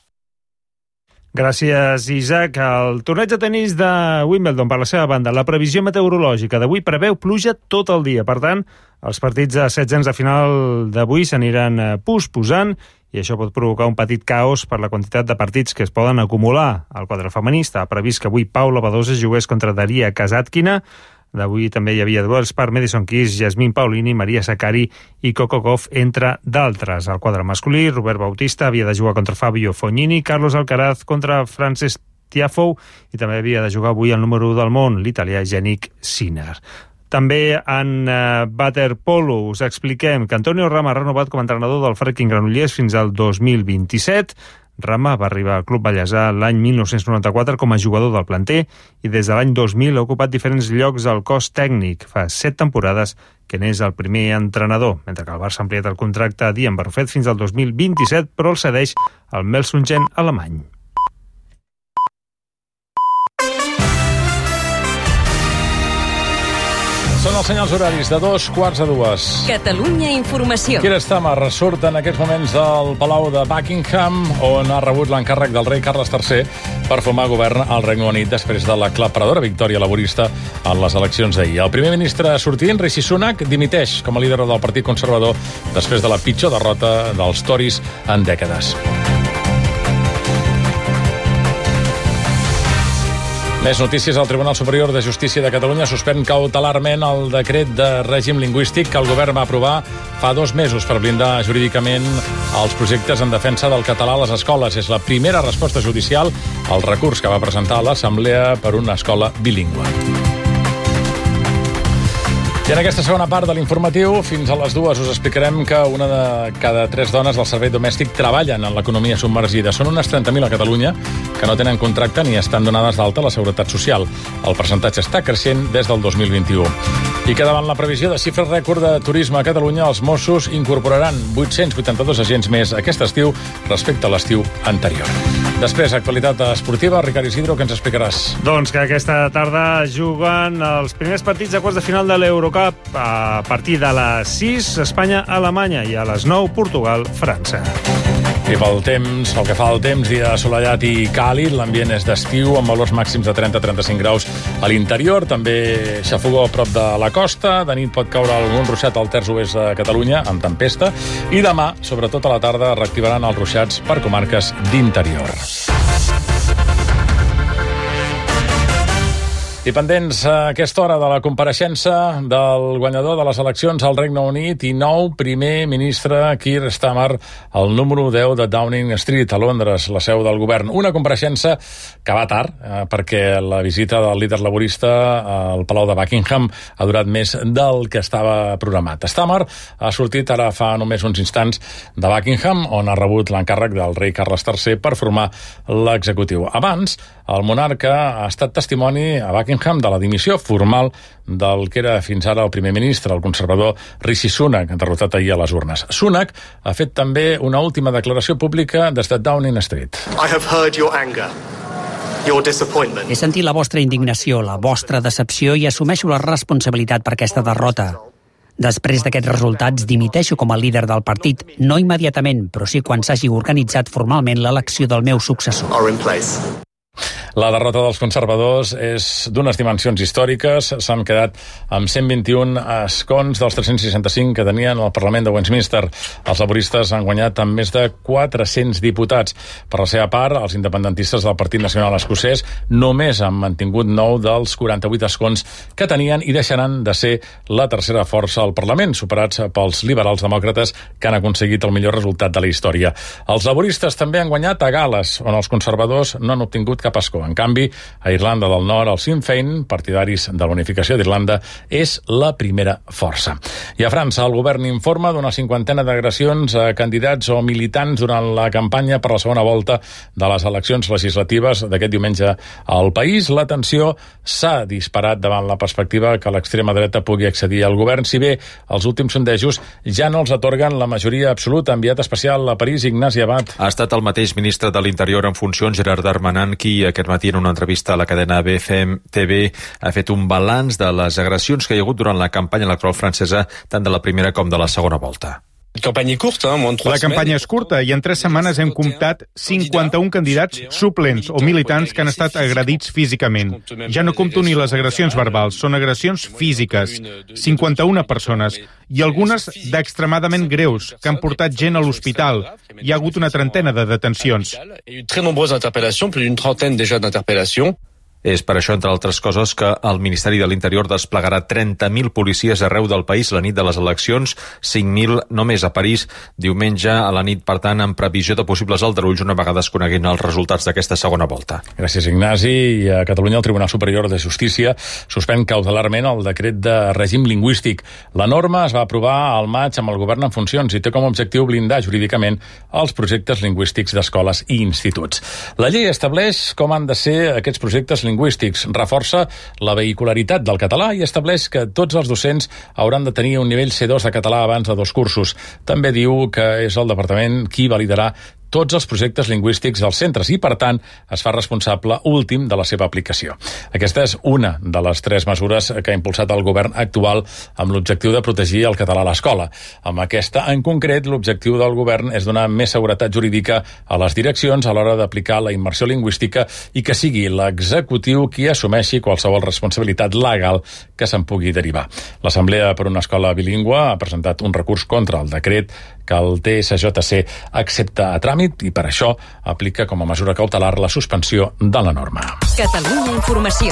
Gràcies, Isaac. El torneig de tenis de Wimbledon, per la seva banda, la previsió meteorològica d'avui preveu pluja tot el dia. Per tant, els partits de setzents de final d'avui s'aniran posposant i això pot provocar un petit caos per la quantitat de partits que es poden acumular. El quadre femení està previst que avui Paula Badosa jugués contra Daria Kasatkina. D'avui també hi havia duels per Madison Keys, Yasmin Paulini, Maria Sakkari i Coco Gauff, entre d'altres. Al quadre masculí, Robert Bautista havia de jugar contra Fabio Fognini, Carlos Alcaraz contra Frances Tiafoe i també havia de jugar avui el número u del món, l'italià Yannick Sinner. També en uh, waterpolo us expliquem que Antonio Rama ha renovat com a entrenador del Fracking Granollers fins al dos mil vint-i-set. Rama va arribar al Club Vallèsà l'any mil nou-cents noranta-quatre com a jugador del planter i des de l'any dos mil ha ocupat diferents llocs al cos tècnic. Fa set temporades que n'és el primer entrenador, mentre que el Barça ha ampliat el contracte a Dian Barrufet fins al dos mil vint-i-set, però el cedeix al Melsungen alemany. els senyals horaris de dos quarts a dues. Catalunya Informació. Keir Starmer ressurt en aquests moments del Palau de Buckingham, on ha rebut l'encàrrec del rei Carles tercer per formar govern al Regne Unit després de l'aclaparadora victòria laborista en les eleccions d'ahir. El primer ministre sortint, Rishi Sunak, dimiteix com a líder del Partit Conservador després de la pitjor derrota dels Tories en dècades. Més notícies. El Tribunal Superior de Justícia de Catalunya suspèn cautelarment el decret de règim lingüístic que el govern va aprovar fa dos mesos per blindar jurídicament els projectes en defensa del català a les escoles. És la primera resposta judicial al recurs que va presentar l'Assemblea per una escola bilingüe. I en aquesta segona part de l'informatiu, fins a les dues, us explicarem que una de cada tres dones del servei domèstic treballen en l'economia submergida. Són unes trenta mil a Catalunya que no tenen contracte ni estan donades d'alta a la Seguretat Social. El percentatge està creixent des del dos mil vint-i-u. I que davant la previsió de xifres rècord de turisme a Catalunya, els Mossos incorporaran vuit-cents vuitanta-dos agents més aquest estiu respecte a l'estiu anterior. Després, actualitat esportiva. Ricard Isidro, què ens explicaràs? Doncs que aquesta tarda juguen els primers partits de quarts de final de l'Eurocup a partir de les sis, Espanya-Alemanya, i a les nou, Portugal-França. I pel temps, pel que fa al temps, dia assolellat i càlid, l'ambient és d'estiu, amb valors màxims de trenta a trenta-cinc graus a l'interior, també xafogó a prop de la costa, de nit pot caure algun ruixat al terç oest de Catalunya, amb tempesta, i demà, sobretot a la tarda, reactivaran els ruixats per comarques d'interior. I pendents a aquesta hora de la compareixença del guanyador de les eleccions al Regne Unit i nou primer ministre Keir Starmer al número deu de Downing Street, a Londres, la seu del govern. Una compareixença que va tard, eh, perquè la visita del líder laborista al Palau de Buckingham ha durat més del que estava programat. Starmer ha sortit ara fa només uns instants de Buckingham, on ha rebut l'encàrrec del rei Carles tercer per formar l'executiu. Abans, el monarca ha estat testimoni a Buckingham de la dimissió formal del que era fins ara el primer ministre, el conservador Rishi Sunak, derrotat ahir a les urnes. Sunak ha fet també una última declaració pública des de Downing Street. I have heard your anger. Your disappointment. He sentit la vostra indignació, la vostra decepció i assumeixo la responsabilitat per aquesta derrota. Després d'aquests resultats, dimiteixo com a líder del partit, no immediatament, però sí quan s'hagi organitzat formalment l'elecció del meu successor. Are in place. La derrota dels conservadors és d'unes dimensions històriques. S'han quedat amb cent vint-i-un escons dels tres-cents seixanta-cinc que tenien al Parlament de Westminster. Els laboristes han guanyat amb més de quatre-cents diputats. Per la seva part, els independentistes del Partit Nacional Escocès només han mantingut nou dels quaranta-vuit escons que tenien i deixaran de ser la tercera força al Parlament, superats pels liberals demòcrates que han aconseguit el millor resultat de la història. Els laboristes també han guanyat a Gal·les, on els conservadors no han obtingut cap escó. En canvi, a Irlanda del Nord, el Sinn Féin, partidaris de la unificació d'Irlanda, és la primera força. I a França, el govern informa d'una cinquantena d'agressions a candidats o militants durant la campanya per la segona volta de les eleccions legislatives d'aquest diumenge al país. La tensió s'ha disparat davant la perspectiva que l'extrema dreta pugui accedir al govern, si bé els últims sondejos ja no els atorguen la majoria absoluta. Enviat especial a París, Ignasi Abad. Ha estat el mateix ministre de l'Interior en funcions, Gerard Darmanin, qui aquest matí en una entrevista a la cadena B F M T V ha fet un balanç de les agressions que hi ha hagut durant la campanya electoral francesa, tant de la primera com de la segona volta. La campanya és curta i en tres setmanes hem comptat cinquanta-un candidats suplents o militants que han estat agredits físicament. Ja no compto ni les agressions verbals, són agressions físiques. cinquanta-una persones i algunes d'extremadament greus que han portat gent a l'hospital. Hi ha hagut una trentena de detencions. És per això, entre altres coses, que el Ministeri de l'Interior desplegarà trenta mil policies arreu del país la nit de les eleccions, cinc mil només a París diumenge a la nit, per tant, en previsió de possibles aldarulls una vegada es coneguin els resultats d'aquesta segona volta. Gràcies, Ignasi. I a Catalunya el Tribunal Superior de Justícia suspèn cautelarment el decret de règim lingüístic. La norma es va aprovar al maig amb el govern en funcions i té com a objectiu blindar jurídicament els projectes lingüístics d'escoles i instituts. La llei estableix com han de ser aquests projectes lingüístics, reforça la vehicularitat del català i estableix que tots els docents hauran de tenir un nivell C dos de català abans de dos cursos. També diu que és el departament qui validarà tots els projectes lingüístics dels centres i, per tant, es fa responsable últim de la seva aplicació. Aquesta és una de les tres mesures que ha impulsat el govern actual amb l'objectiu de protegir el català a l'escola. Amb aquesta, en concret, l'objectiu del govern és donar més seguretat jurídica a les direccions a l'hora d'aplicar la immersió lingüística i que sigui l'executiu qui assumeixi qualsevol responsabilitat legal que se'n pugui derivar. L'Assemblea per una Escola Bilingüe ha presentat un recurs contra el decret que el T S J C accepta a tràmit i per això aplica com a mesura cautelar la suspensió de la norma. Catalunya Informació.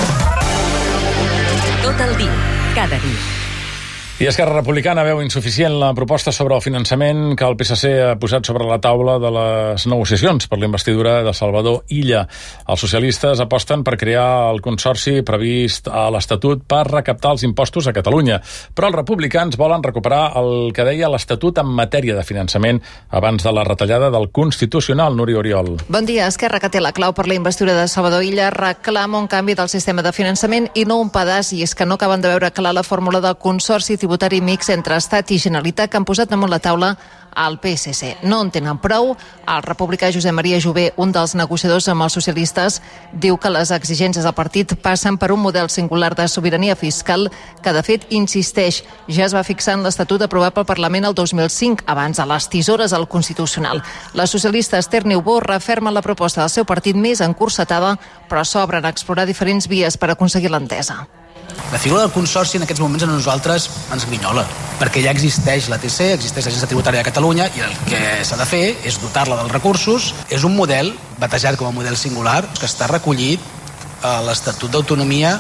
Tot el dia, cada dia. I Esquerra Republicana veu insuficient la proposta sobre el finançament que el P S C ha posat sobre la taula de les negociacions per la investidura de Salvador Illa. Els socialistes aposten per crear el consorci previst a l'Estatut per recaptar els impostos a Catalunya, però els republicans volen recuperar el que deia l'Estatut en matèria de finançament abans de la retallada del Constitucional. Núria Oriol. Bon dia. Esquerra, que té la clau per la investidura de Salvador Illa, reclama un canvi del sistema de finançament i no un pedaç, i és que no acaben de veure clar la fórmula del consorci tributari mix entre Estat i Generalitat que han posat damunt la taula al P S C. No en tenen prou. El republicà Josep Maria Jové, un dels negociadors amb els socialistes, diu que les exigències del partit passen per un model singular de sobirania fiscal que, de fet, insisteix, ja es va fixar en l'Estatut aprovat pel Parlament el dos mil cinc, abans de les tisores al Constitucional. La socialista Esther Niubó referma la proposta del seu partit més encursetada, però s'obren a explorar diferents vies per aconseguir l'entesa. La figura del consorci en aquests moments a nosaltres ens grinyola, perquè ja existeix l'A T C, existeix l'Agència Tributària de Catalunya i el que s'ha de fer és dotar-la dels recursos. És un model, batejat com a model singular, que està recollit a l'Estatut d'Autonomia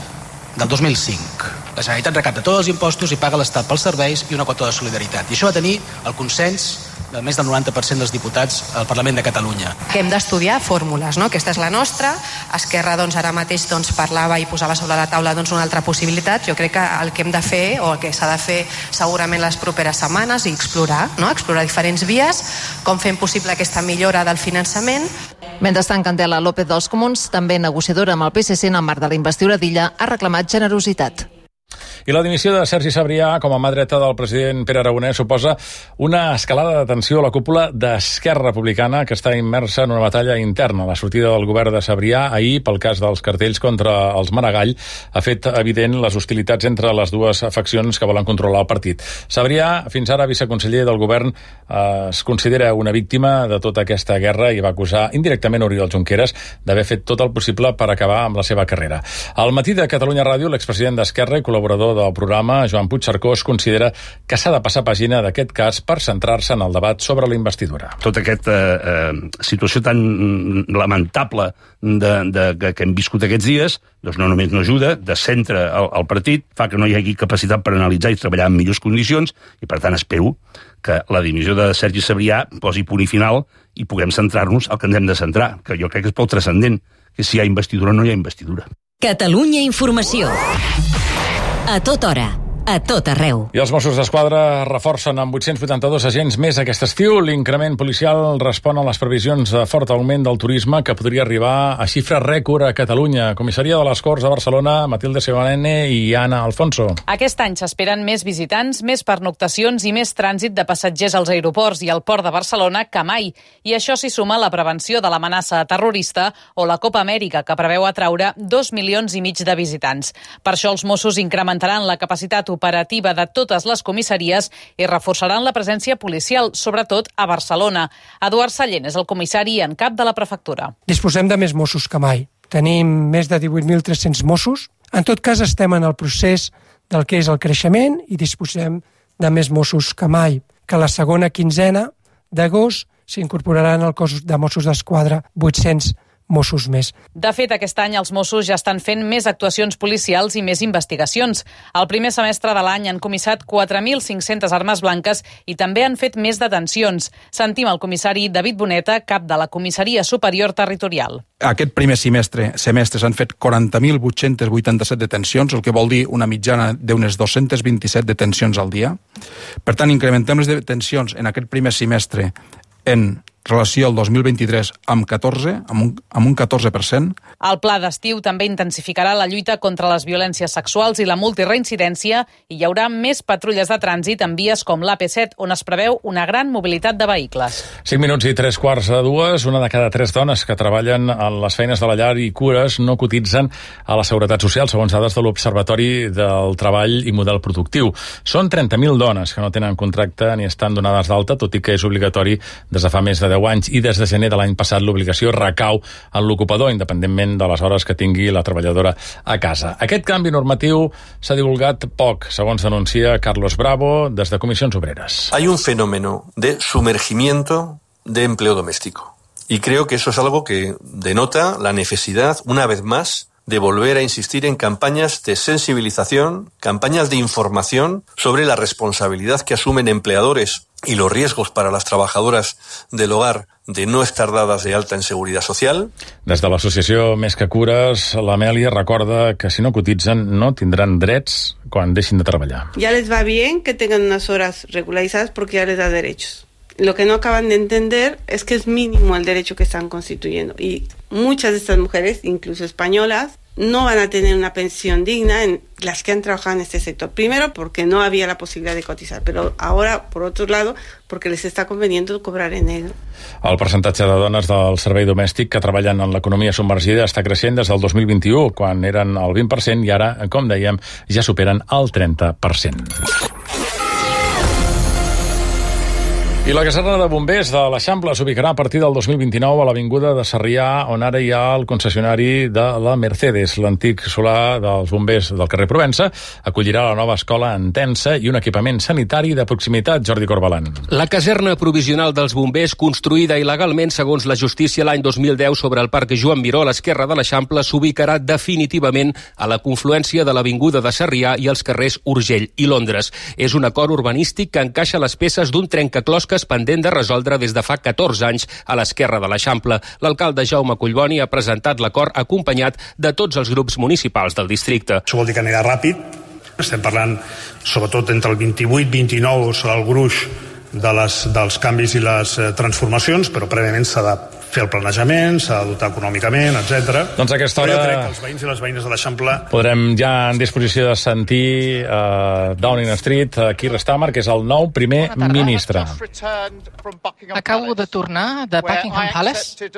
del dos mil cinc. La Generalitat recapta tots els impostos i paga l'Estat pels serveis i una quota de solidaritat. I això va tenir el consens de més del noranta per cent dels diputats al Parlament de Catalunya. Que hem d'estudiar fórmules, no? Aquesta és la nostra. Esquerra doncs, ara mateix doncs, parlava i posava sobre la taula doncs, una altra possibilitat. Jo crec que el que hem de fer, o el que s'ha de fer segurament les properes setmanes, i explorar, no? explorar diferents vies, com fem possible aquesta millora del finançament. Mentrestant, Candela López dels Comuns, també negociadora amb el P S C en el marc de la investidura d'Illa, ha reclamat generositat. I la dimissió de Sergi Sabrià com a mà dreta del president Pere Aragonès suposa una escalada de tensió a la cúpula d'Esquerra Republicana, que està immersa en una batalla interna. La sortida del govern de Sabrià ahir, pel cas dels cartells contra els Maragall, ha fet evident les hostilitats entre les dues faccions que volen controlar el partit. Sabrià, fins ara viceconseller del govern, eh, es considera una víctima de tota aquesta guerra i va acusar indirectament Oriol Junqueras d'haver fet tot el possible per acabar amb la seva carrera. Al matí de Catalunya Ràdio, l'expresident d'Esquerra i col·laborador del programa, Joan Puigcercós, considera que s'ha de passar pàgina d'aquest cas per centrar-se en el debat sobre la investidura. Tota aquesta eh, situació tan lamentable de, de, de, que hem viscut aquests dies, doncs no només no ajuda, descentra el, el partit, fa que no hi hagi capacitat per analitzar i treballar en millors condicions, i per tant espero que la dimissió de Sergi Sabrià posi punt i final i puguem centrar-nos al que ens hem de centrar, que jo crec que és prou transcendent, que si hi ha investidura o no hi ha investidura. Catalunya Informació. A tota hora, a tot arreu. I els Mossos d'Esquadra reforcen amb vuit-cents vuitanta-dos agents més aquest estiu. L'increment policial respon a les previsions de fort augment del turisme que podria arribar a xifra rècord a Catalunya. Comissaria de les Corts a Barcelona, Matilde Sebanene i Anna Alfonso. Aquest any s'esperen més visitants, més pernoctacions i més trànsit de passatgers als aeroports i al port de Barcelona que mai. I això s'hi suma la prevenció de l'amenaça terrorista o la Copa Amèrica, que preveu atraure dos milions i mig de visitants. Per això els Mossos incrementaran la capacitat operativa de totes les comissaries i reforçaran la presència policial, sobretot a Barcelona. Eduard Sallent és el comissari en cap de la prefectura. Disposem de més Mossos que mai. Tenim més de divuit mil tres-cents Mossos. En tot cas, estem en el procés del que és el creixement i disposem de més Mossos que mai. Que la segona quinzena d'agost s'incorporaran al cos de Mossos d'Esquadra vuit-cents Mossos més. De fet, aquest any els Mossos ja estan fent més actuacions policials i més investigacions. El primer semestre de l'any han comissat quatre mil cinc-centes armes blanques i també han fet més detencions. Sentim el comissari David Boneta, cap de la Comissaria Superior Territorial. Aquest primer semestre semestre s'han fet quaranta mil vuit-cents vuitanta-set detencions, el que vol dir una mitjana d'unes dos-cents vint-i-set detencions al dia. Per tant, incrementem les detencions en aquest primer semestre en relació al dos mil vint-i-tres amb catorze, amb un, amb un catorze per cent. El pla d'estiu també intensificarà la lluita contra les violències sexuals i la multireincidència i hi haurà més patrulles de trànsit en vies com l'A P set, on es preveu una gran mobilitat de vehicles. cinc minuts i tres quarts de dues. Una de cada tres dones que treballen en les feines de la llar i cures no cotitzen a la Seguretat Social, segons dades de l'Observatori del Treball i Model Productiu. Són trenta mil dones que no tenen contracte ni estan donades d'alta, tot i que és obligatori des de fa més de deu anys, i des de gener de l'any passat l'obligació recau en l'ocupador, independentment de les hores que tingui la treballadora a casa. Aquest canvi normatiu s'ha divulgat poc, segons denuncia Carlos Bravo, des de Comissions Obreres. Hay un fenómeno de sumergimiento de empleo doméstico. Y creo que eso es algo que denota la necesidad, una vez más, de volver a insistir en campañas de sensibilización, campañas de información sobre la responsabilidad que asumen empleadores y los riesgos para las trabajadoras del hogar de no estar dadas de alta en Seguridad Social. Des de l'associació Més que Cures, l'Amèlia recorda que si no cotitzen no tindran drets quan deixin de treballar. Ya les va bien que tengan unas horas regularizadas porque ya les da derechos. Lo que no acaban de entender es que es mínimo el derecho que están constituyendo y muchas de estas mujeres, incluso españolas, no van a tener una pensión digna en las que han trabajado en este sector. Primero, porque no había la posibilidad de cotizar, pero ahora, por otro lado, porque les está conveniendo cobrar en negro. El percentatge de dones del servei domèstic que treballen en l'economia submergida està creixent des del dos mil vint-i-u, quan eren el vint per cent, i ara, com dèiem, ja superen el trenta per cent. I la caserna de bombers de l'Eixample s'ubicarà a partir del dos mil vint-i-nou a l'avinguda de Sarrià, on ara hi ha el concessionari de la Mercedes. L'antic solar dels bombers del carrer Provença acollirà la nova escola en Tensa i un equipament sanitari de proximitat. Jordi Corbalan. La caserna provisional dels bombers, construïda il·legalment segons la justícia l'any dos mil deu sobre el parc Joan Miró a l'esquerra de l'Eixample, s'ubicarà definitivament a la confluència de l'avinguda de Sarrià i els carrers Urgell i Londres. És un acord urbanístic que encaixa les peces d'un trencaclosques pendent de resoldre des de fa catorze anys a l'esquerra de l'Eixample. L'alcalde Jaume Collboni ha presentat l'acord acompanyat de tots els grups municipals del districte. Això vol dir que anirà ràpid. Estem parlant, sobretot, entre el vint-i-vuit i vint-i-nou serà el gruix de les, dels canvis i les eh, transformacions, però prèviament s'ha de fer el planejament, s'ha de dotar econòmicament, etcètera. Doncs a aquesta hora... Però jo crec que els veïns i les veïnes de l'Eixample... Podrem ja en disposició de sentir uh, Downing Street, uh, Keir Starmer, que és el nou primer ministre. Acabo de tornar de Buckingham Palace,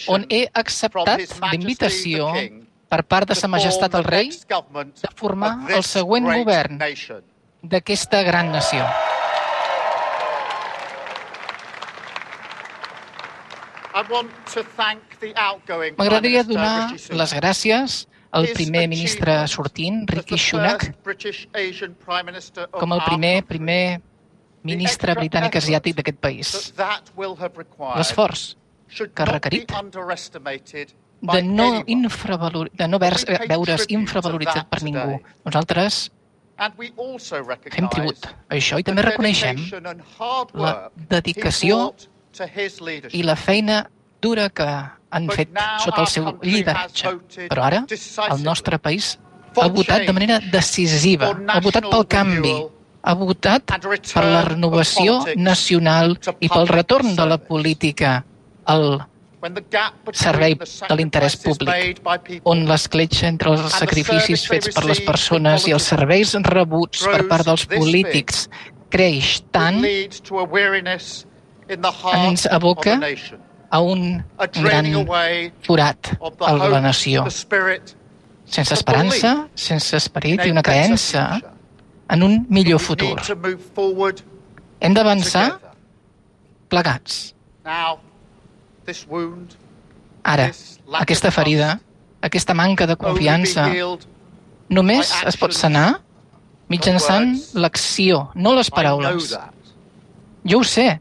on he acceptat l'invitació per part de Sa Majestat el Rei de formar el següent govern d'aquesta gran nació. M'agradaria donar les gràcies al primer ministre sortint, Rishi Sunak, com el primer primer ministre britànic asiàtic d'aquest país. L'esforç que ha requerit de no, infravalor... de no veure's infravaloritzat per ningú. Nosaltres fem tribut a això i també reconeixem la dedicació i la feina dura que han fet sota el seu lideratge. Però ara el nostre país ha votat de manera decisiva, ha votat pel canvi, ha votat per la renovació nacional i pel retorn de la política al servei de l'interès públic, on l'escletxa entre els sacrificis fets per les persones i els serveis rebuts per part dels polítics creix tant, ens aboca a un gran forat a la nació, sense esperança, sense esperit i una creença en un millor futur. Hem d'avançar plegats. Ara, aquesta ferida, aquesta manca de confiança, només es pot sanar mitjançant l'acció, no les paraules. Jo ho sé,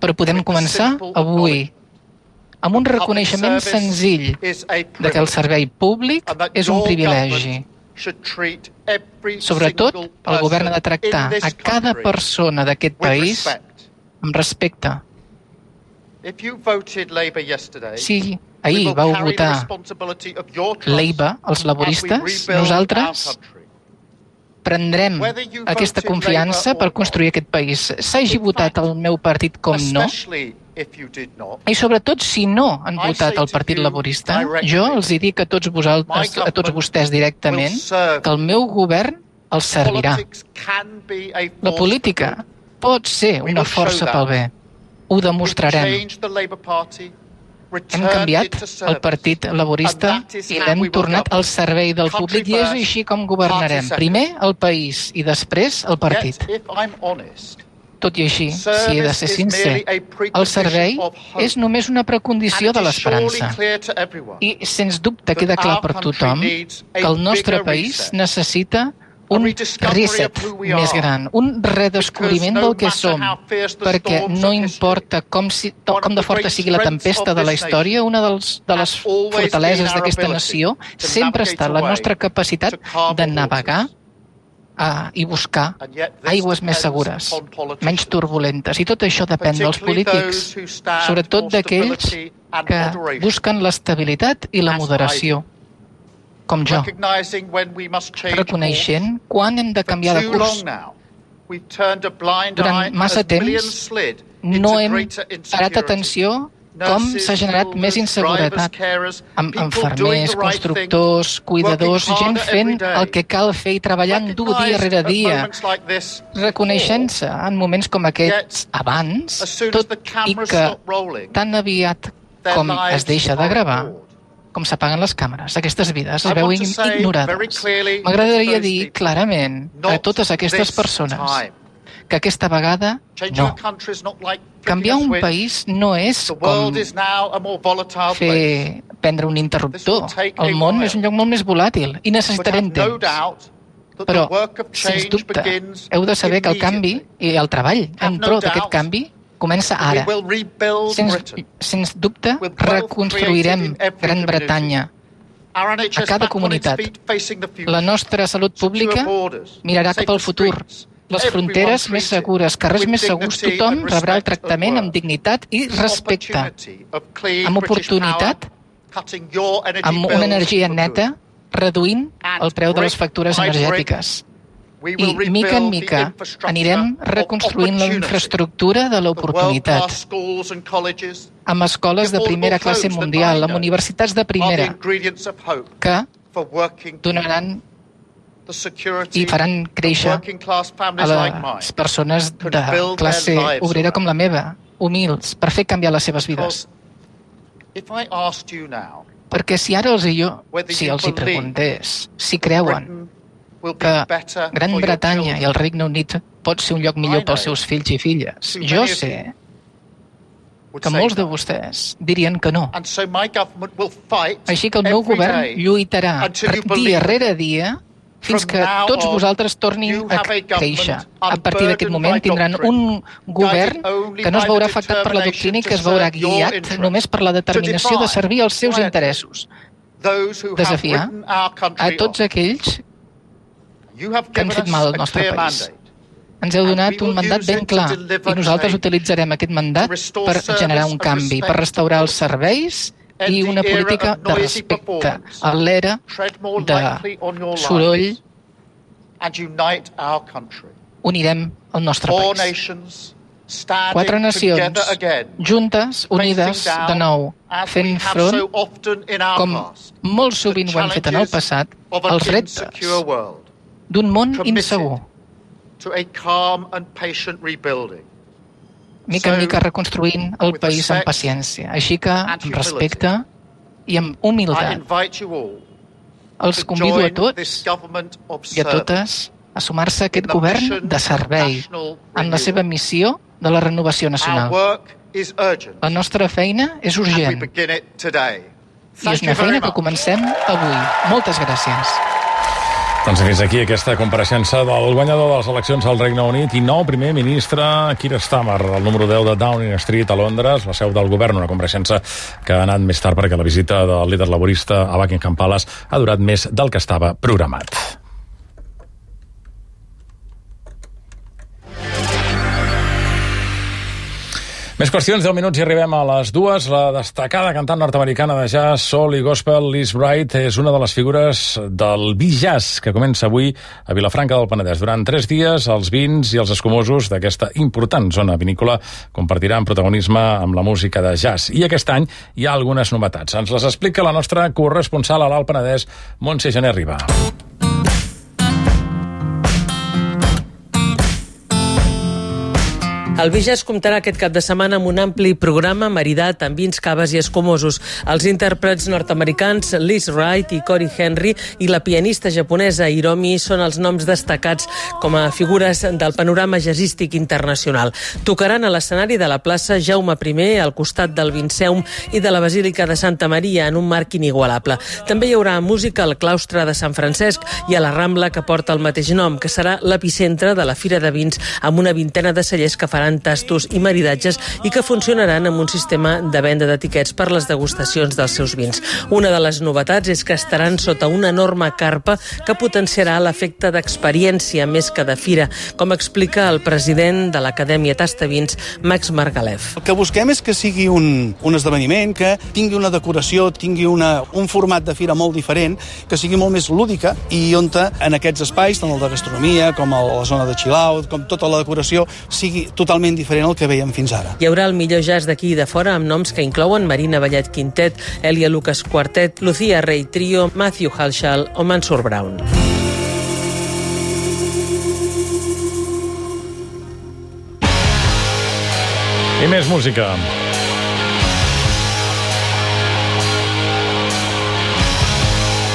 però podem començar avui amb un reconeixement senzill de que el servei públic és un privilegi. Sobretot, el govern ha de tractar a cada persona d'aquest país amb respecte. Si ahir vau votar Labour, els laboristes, nosaltres prendrem aquesta confiança per construir aquest país. S'hagi votat el meu partit com no, i sobretot si no han votat el Partit Laborista, jo els hi dic a tots vosaltres, a tots vostès directament, que el meu govern els servirà. La política pot ser una força pel bé. Ho demostrarem. Hem canviat el Partit Laborista i l'hem tornat al servei del públic i és així com governarem. Primer el país i després el partit. Tot i així, si he de ser sincer, el servei és només una precondició de l'esperança. I, sens dubte, queda clar per tothom que el nostre país necessita un reset més gran, un redescobriment del que som, perquè no importa com, si, com de forta sigui la tempesta de la història, una dels, de les fortaleses d'aquesta nació sempre està la nostra capacitat de navegar Uh, i buscar aigües més segures, menys turbulentes. I tot això depèn dels polítics, sobretot d'aquells que busquen l'estabilitat i la moderació, com jo, reconeixent quan hem de canviar de curs. Durant massa temps no hem parat atenció com s'ha generat més inseguretat amb infermers, constructors, cuidadors, gent fent el que cal fer i treballant dur dia rere dia, reconeixent-se en moments com aquests abans, tot i que tan aviat com es deixa de gravar, com s'apaguen les càmeres, aquestes vides es veuen ignorades. M'agradaria dir clarament a totes aquestes persones que aquesta vegada no. Canviar un país no és com fer prendre un interruptor. El món és un lloc molt més volàtil i necessitarem temps. Però, sens dubte, heu de saber que el canvi i el treball en pro d'aquest canvi comença ara. Sens, sens dubte, reconstruirem Gran Bretanya a cada comunitat. La nostra salut pública mirarà cap al futur. Les fronteres més segures, carrers més segurs, tothom rebrà el tractament amb dignitat i respecte, amb oportunitat, amb una energia neta, reduint el preu de les factures energètiques. I, mica en mica, anirem reconstruint la infraestructura de l'oportunitat, amb escoles de primera classe mundial, amb universitats de primera, que donaran i faran créixer a les persones de classe obrera com la meva, humils, per fer canviar les seves vides. Perquè si ara els, jo, si els hi preguntés si creuen que Gran Bretanya i el Regne Unit pot ser un lloc millor pels seus fills i filles, jo sé que molts de vostès dirien que no. Així que el meu govern lluitarà dia rere dia fins que tots vosaltres tornin a créixer. A partir d'aquest moment tindran un govern que no es veurà afectat per la doctrina i que es veurà guiat només per la determinació de servir als seus interessos. Desafiar a tots aquells que han fet mal al nostre país. Ens heu donat un mandat ben clar i nosaltres utilitzarem aquest mandat per generar un canvi, per restaurar els serveis i una política de respecte a l'era de soroll. Unirem el nostre país. Quatre nacions juntes, unides de nou, fent front, com molt sovint ho hem fet en el passat, als reptes d'un món insegur. Mica en mica reconstruint el país amb paciència. Així que, amb respecte i amb humilitat, els convido a tots i a totes a sumar-se a aquest govern de servei en la seva missió de la renovació nacional. La nostra feina és urgent i és una feina que comencem avui. Moltes gràcies. Doncs fins aquí aquesta compareixença del guanyador de les eleccions al Regne Unit i nou primer ministre Keir Starmer, el número deu de Downing Street a Londres, la seu del govern, una compareixença que ha anat més tard perquè la visita del líder laborista a Buckingham Palace ha durat més del que estava programat. Més qüestions, deu minuts i arribem a les dues. La destacada cantant nord-americana de jazz, soul i gospel, Liz Wright, és una de les figures del Bijazz, que comença avui a Vilafranca del Penedès. Durant tres dies, els vins i els escumosos d'aquesta important zona vinícola compartiran protagonisme amb la música de jazz. I aquest any hi ha algunes novetats. Ens les explica la nostra corresponsal a l'Alt Penedès, Montse Gené Riba. El Bijazz comptarà aquest cap de setmana amb un ampli programa maridat amb vins, caves i escumosos. Els intèrprets nord-americans Liz Wright i Cory Henry i la pianista japonesa Hiromi són els noms destacats com a figures del panorama jazzístic internacional. Tocaran a l'escenari de la plaça Jaume I, al costat del Vinceum i de la Basílica de Santa Maria, en un marc inigualable. També hi haurà música al claustre de Sant Francesc i a la Rambla, que porta el mateix nom, que serà l'epicentre de la Fira de Vins, amb una vintena de cellers que faran tastos i maridatges i que funcionaran amb un sistema de venda d'etiquets per les degustacions dels seus vins. Una de les novetats és que estaran sota una enorme carpa que potenciarà l'efecte d'experiència més que de fira, com explica el president de l'Acadèmia Tastavins, Max Margalef. El que busquem és que sigui un, un esdeveniment que tingui una decoració, tingui una, un format de fira molt diferent, que sigui molt més lúdica i on en aquests espais, tant el de gastronomia com el, la zona de chill out, com tota la decoració, sigui totalment diferent al que veiem fins ara. Hi haurà el millor jazz d'aquí i de fora amb noms que inclouen Marina Vallet Quintet, Elia Lucas Quartet, Lucía Rey Trio, Matthew Halshall o Mansur Brown. I més música.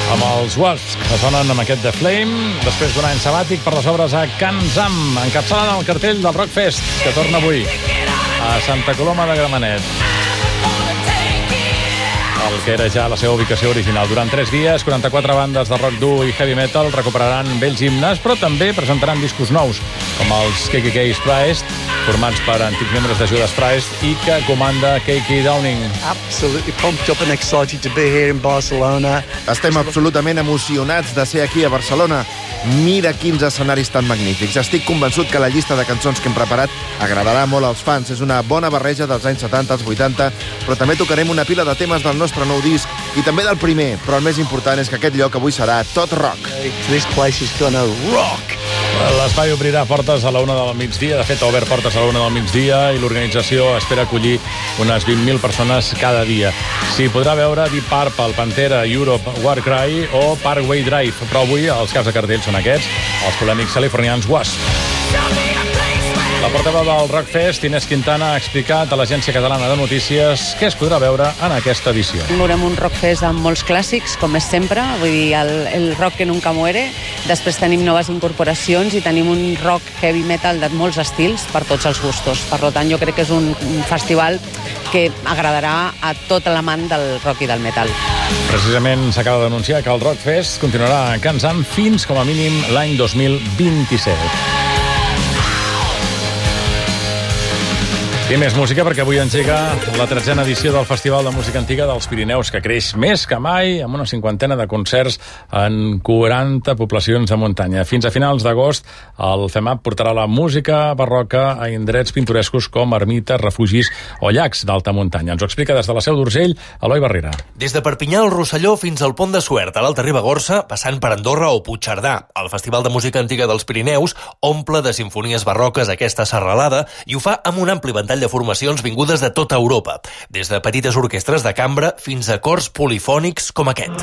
Amb els Wasps, que sonen amb aquest The Flame, després d'un any sabàtic per les obres a Can Zam, encapçalant el cartell del Rockfest, que torna avui a Santa Coloma de Gramenet. El que era ja la seva ubicació original. Durant tres dies, quaranta-quatre bandes de rock dur i heavy metal recuperaran vells himnes, però també presentaran discos nous, com els K K K's Priest, formats per antics membres de Judas Priest i que comanda K K Downing. Absolutely pumped up and excited to be here in Barcelona. Estem absolutament emocionats de ser aquí a Barcelona. Mira quins escenaris tan magnífics. Estic convençut que la llista de cançons que hem preparat agradarà molt als fans. És una bona barreja dels anys setanta als vuitanta, però també tocarem una pila de temes del nostre nou disc i també del primer, però el més important és que aquest lloc avui serà tot rock. This place is gonna rock. L'espai obrirà portes a la una del migdia. De fet, ha obert portes a la una del migdia i l'organització espera acollir unes vint mil persones cada dia. S'hi podrà veure Deep Purple, Pantera, Europe, Warcry o Parkway Drive, però avui els caps de cartell són aquests, els polèmics californians Wasp. La portaveu del Rockfest, Inés Quintana, ha explicat a l'Agència Catalana de Notícies què es podrà veure en aquesta edició. Veurem un Rockfest amb molts clàssics, com és sempre, vull dir, el, el rock que nunca muere. Després tenim noves incorporacions i tenim un rock heavy metal de molts estils per tots els gustos. Per tant, jo crec que és un, un festival que agradarà a tot l'amant del rock i del metal. Precisament s'acaba d'anunciar que el Rockfest continuarà a Can Zam fins com a mínim l'any dos mil vint-i-set. I més música, perquè avui engega la tretzena edició del Festival de Música Antiga dels Pirineus, que creix més que mai, amb una cinquantena de concerts en quaranta poblacions de muntanya. Fins a finals d'agost, el FEMAP portarà la música barroca a indrets pintorescos com ermites, refugis o llacs d'alta muntanya. Ens ho explica des de la Seu d'Urgell, Eloi Barrera. Des de Perpinyà al Rosselló fins al Pont de Suert, a l'Alta Ribagorça, passant per Andorra o Puigcerdà. El Festival de Música Antiga dels Pirineus omple de sinfonies barroques aquesta serralada i ho fa amb un ampli ventall de formacions vingudes de tota Europa, des de petites orquestres de cambra fins a cors polifònics com aquest.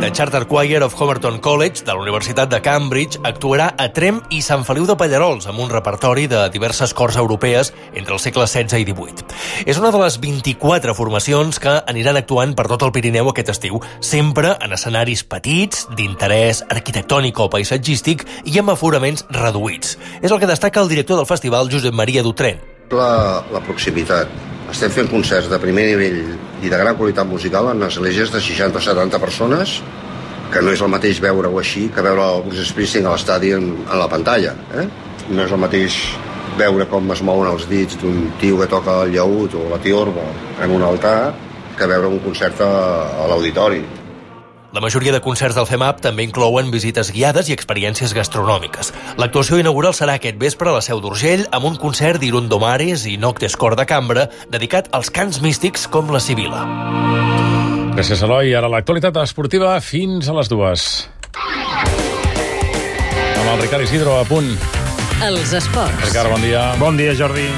The Charter Choir of Homerton College, de la Universitat de Cambridge, actuarà a Tremp i Sant Feliu de Pallerols, amb un repertori de diverses cors europees entre els segles setze i divuit. És una de les vint-i-quatre formacions que aniran actuant per tot el Pirineu aquest estiu, sempre en escenaris petits, d'interès arquitectònic o paisatgístic i amb aforaments reduïts. És el que destaca el director del festival, Josep Maria Dutren. La, la proximitat. Estem fent concerts de primer nivell i de gran qualitat musical en esglésies de seixanta o setanta persones, que no és el mateix veure-ho així que veure el Bruce Springsteen a l'estadi en, en la pantalla. Eh? No és el mateix veure com es mouen els dits d'un tio que toca el llaüt o la tiorba en un altar que veure un concert a, a l'auditori. La majoria de concerts del FEMAP també inclouen visites guiades i experiències gastronòmiques. L'actuació inaugural serà aquest vespre a la Seu d'Urgell amb un concert d'Irundomares i Noctes Cor de Cambra dedicat als cants místics com la Sibila. Gràcies, Eloi. Ara l'actualitat esportiva fins a les dues. Amb el Ricard Isidro a punt. Els esports. Ricard, bon dia. Bon dia, Jordi.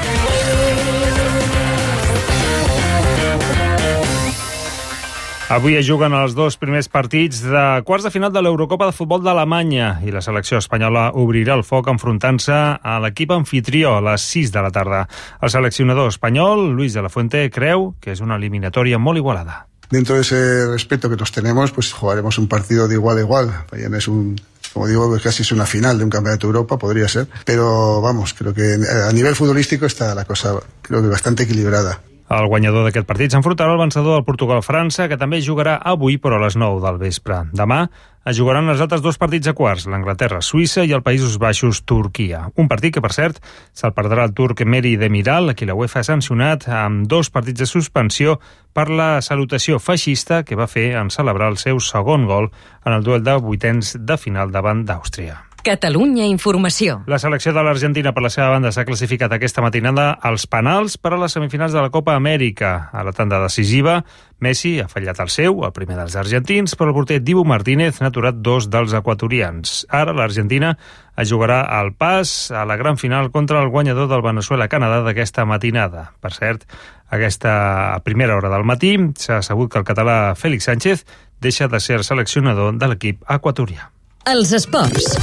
Avui es juguen els dos primers partits de quarts de final de l'Eurocopa de Futbol d'Alemanya i la selecció espanyola obrirà el foc enfrontant-se a l'equip anfitrió a les sis de la tarda. El seleccionador espanyol, Luis de la Fuente, creu que és una eliminatòria molt igualada. Dentro de ese respeto que todos tenemos, pues jugaremos un partido de igual a igual. Mañana es un, como digo, casi es una final de un campeonato de Europa, podría ser. Pero vamos, creo que a nivel futbolístico está la cosa, creo que bastante equilibrada. El guanyador d'aquest partit s'enfrontarà al vencedor del Portugal-França, que també jugarà avui, però a les nou del vespre. Demà es jugaran els altres dos partits a quarts, l'Anglaterra-Suïssa i el Països Baixos-Turquia. Un partit que, per cert, se'l perdrà el turc Meri Demiral, a qui la UEFA ha sancionat amb dos partits de suspensió per la salutació feixista que va fer en celebrar el seu segon gol en el duel de vuitens de final davant d'Àustria. Catalunya Informació. La selecció de l'Argentina, per la seva banda, s'ha classificat aquesta matinada als penals per a les semifinals de la Copa Amèrica. A la tanda decisiva, Messi ha fallat el seu, el primer dels argentins, però el porter Dibu Martínez n'ha aturat dos dels equatorians. Ara l'Argentina es jugarà al pas a la gran final contra el guanyador del Venezuela-Canadà d'aquesta matinada. Per cert, aquesta primera hora del matí s'ha sabut que el català Félix Sánchez deixa de ser seleccionador de l'equip equatorià. Els esports.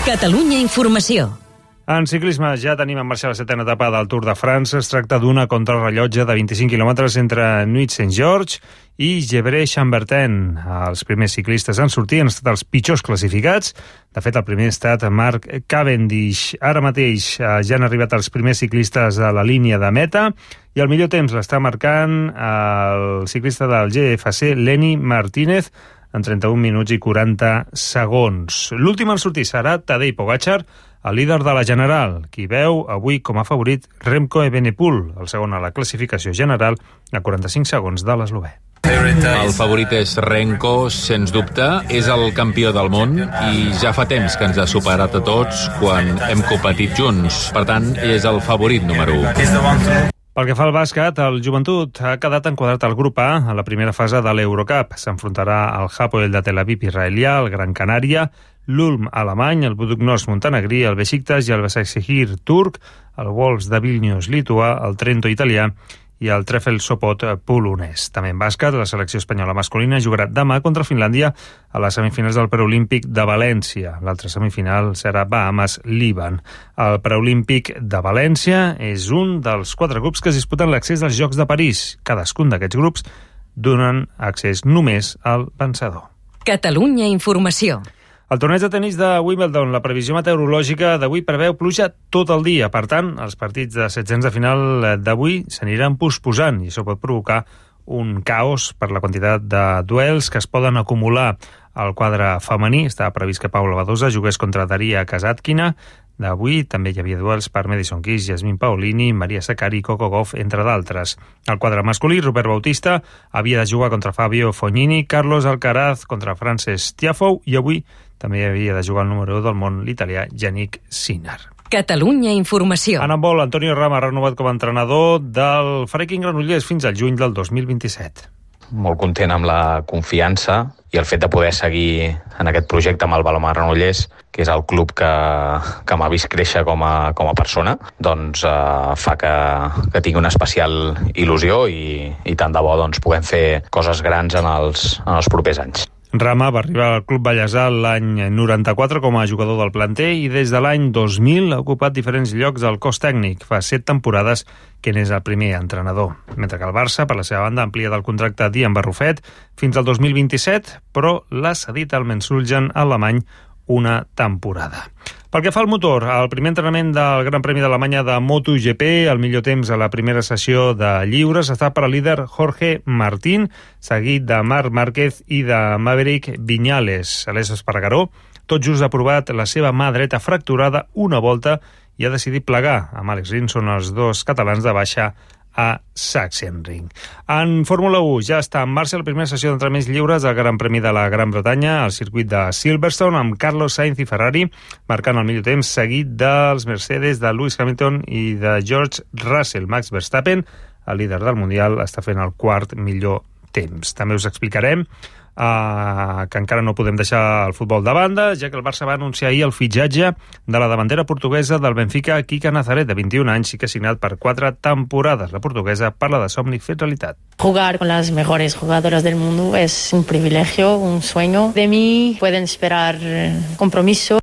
Catalunya Informació. En ciclisme ja tenim en marxa la setena etapa del Tour de France. Es tracta d'una contrarrellotge de vint-i-cinc quilòmetres entre Nuit-Saint-Georges i Gevrey-Chambertin. Els primers ciclistes en sortir han estat els pitjors classificats. De fet, el primer ha estat Mark Cavendish. Ara mateix ja han arribat els primers ciclistes a la línia de meta i el millor temps l'està marcant el ciclista del G F C, Lenny Martínez, en trenta-un minuts i quaranta segons. L'últim en sortir serà Tadej Pogačar, el líder de la General, qui veu avui com a favorit Remco Evenepoel, el segon a la classificació general, a quaranta-cinc segons de l'eslovè. El favorit és Renko, sens dubte, és el campió del món i ja fa temps que ens ha superat a tots quan hem competit junts. Per tant, és el favorit número u. Pel que fa al bàsquet, el Joventut ha quedat enquadrat al grup A a la primera fase de l'Eurocup. S'enfrontarà al Hapoel de Tel Aviv israelià, el Gran Canària, l'Ulm alemany, el Buduknost montenegrí, el Besiktas i el Başakşehir turc, el Wolves de Vilnius lituà, el Trento italià i el Trefl Sopot polonès. També en bàsquet, la selecció espanyola masculina jugarà demà contra Finlàndia a les semifinals del Preolímpic de València. L'altra semifinal serà Bahamas-Líban. El Preolímpic de València és un dels quatre grups que es disputen l'accés als Jocs de París. Cadascun d'aquests grups donen accés només al vencedor. Catalunya Informació. El torneig de tenis de Wimbledon, la previsió meteorològica d'avui preveu pluja tot el dia. Per tant, els partits de setzents de final d'avui s'aniran posposant i això pot provocar un caos per la quantitat de duels que es poden acumular al quadre femení. Estava previst que Paula Badosa jugués contra Daria Kasatkina. D'avui també hi havia duels per Madison Keys, Yasmin Paolini, Maria Sakkari i Coco Gauff, entre d'altres. Al quadre masculí, Robert Bautista havia de jugar contra Fabio Fognini, Carlos Alcaraz contra Frances Tiafoe i avui també havia de jugar el número u del món, l'italià Yannick Sinner. Catalunya Informació. En handbol, Antonio Rama ha renovat com a entrenador del Freaking Granollers fins al juny del dos mil vint-i-set. Molt content amb la confiança i el fet de poder seguir en aquest projecte amb el Balomà Granollers, que és el club que, que m'ha vist créixer com a, com a persona, doncs eh, fa que, que tingui una especial il·lusió i, i tant de bo doncs, puguem fer coses grans en els, en els propers anys. Rama va arribar al Club Bellesà l'any noranta-quatre com a jugador del planter i des de l'any dos mil ha ocupat diferents llocs al cos tècnic. Fa set temporades que n'és el primer entrenador. Mentre que el Barça, per la seva banda, amplia del contracte d'Ian Barrufet fins al dos mil vint-i-set, però l'ha cedit al Mensulgen alemany una temporada. Pel que fa al motor, el primer entrenament del Gran Premi d'Alemanya de MotoGP, el millor temps a la primera sessió de lliures està per al líder Jorge Martín, seguit de Marc Márquez i de Maverick Viñales. Aleix Espargaró tot just ha provat la seva mà dreta fracturada una volta i ha decidit plegar. Amb Alex Rins són els dos catalans de baixa a Sachsenring. En Fórmula u ja està en marxa la primera sessió d'entrenaments lliures al Gran Premi de la Gran Bretanya al circuit de Silverstone, amb Carlos Sainz i Ferrari marcant el millor temps, seguit dels Mercedes de Lewis Hamilton i de George Russell. Max Verstappen, el líder del Mundial, està fent el quart millor temps. També us explicarem Uh, que encara no podem deixar el futbol de banda, ja que el Barça va anunciar ahir el fitxatge de la davantera portuguesa del Benfica, Kika Nazaret, de vint-i-un anys, i que ha signat per quatre temporades. La portuguesa parla de somni fet realitat. Jugar con las mejores jugadoras del mundo es un privilegio, un sueño. De mí pueden esperar compromiso.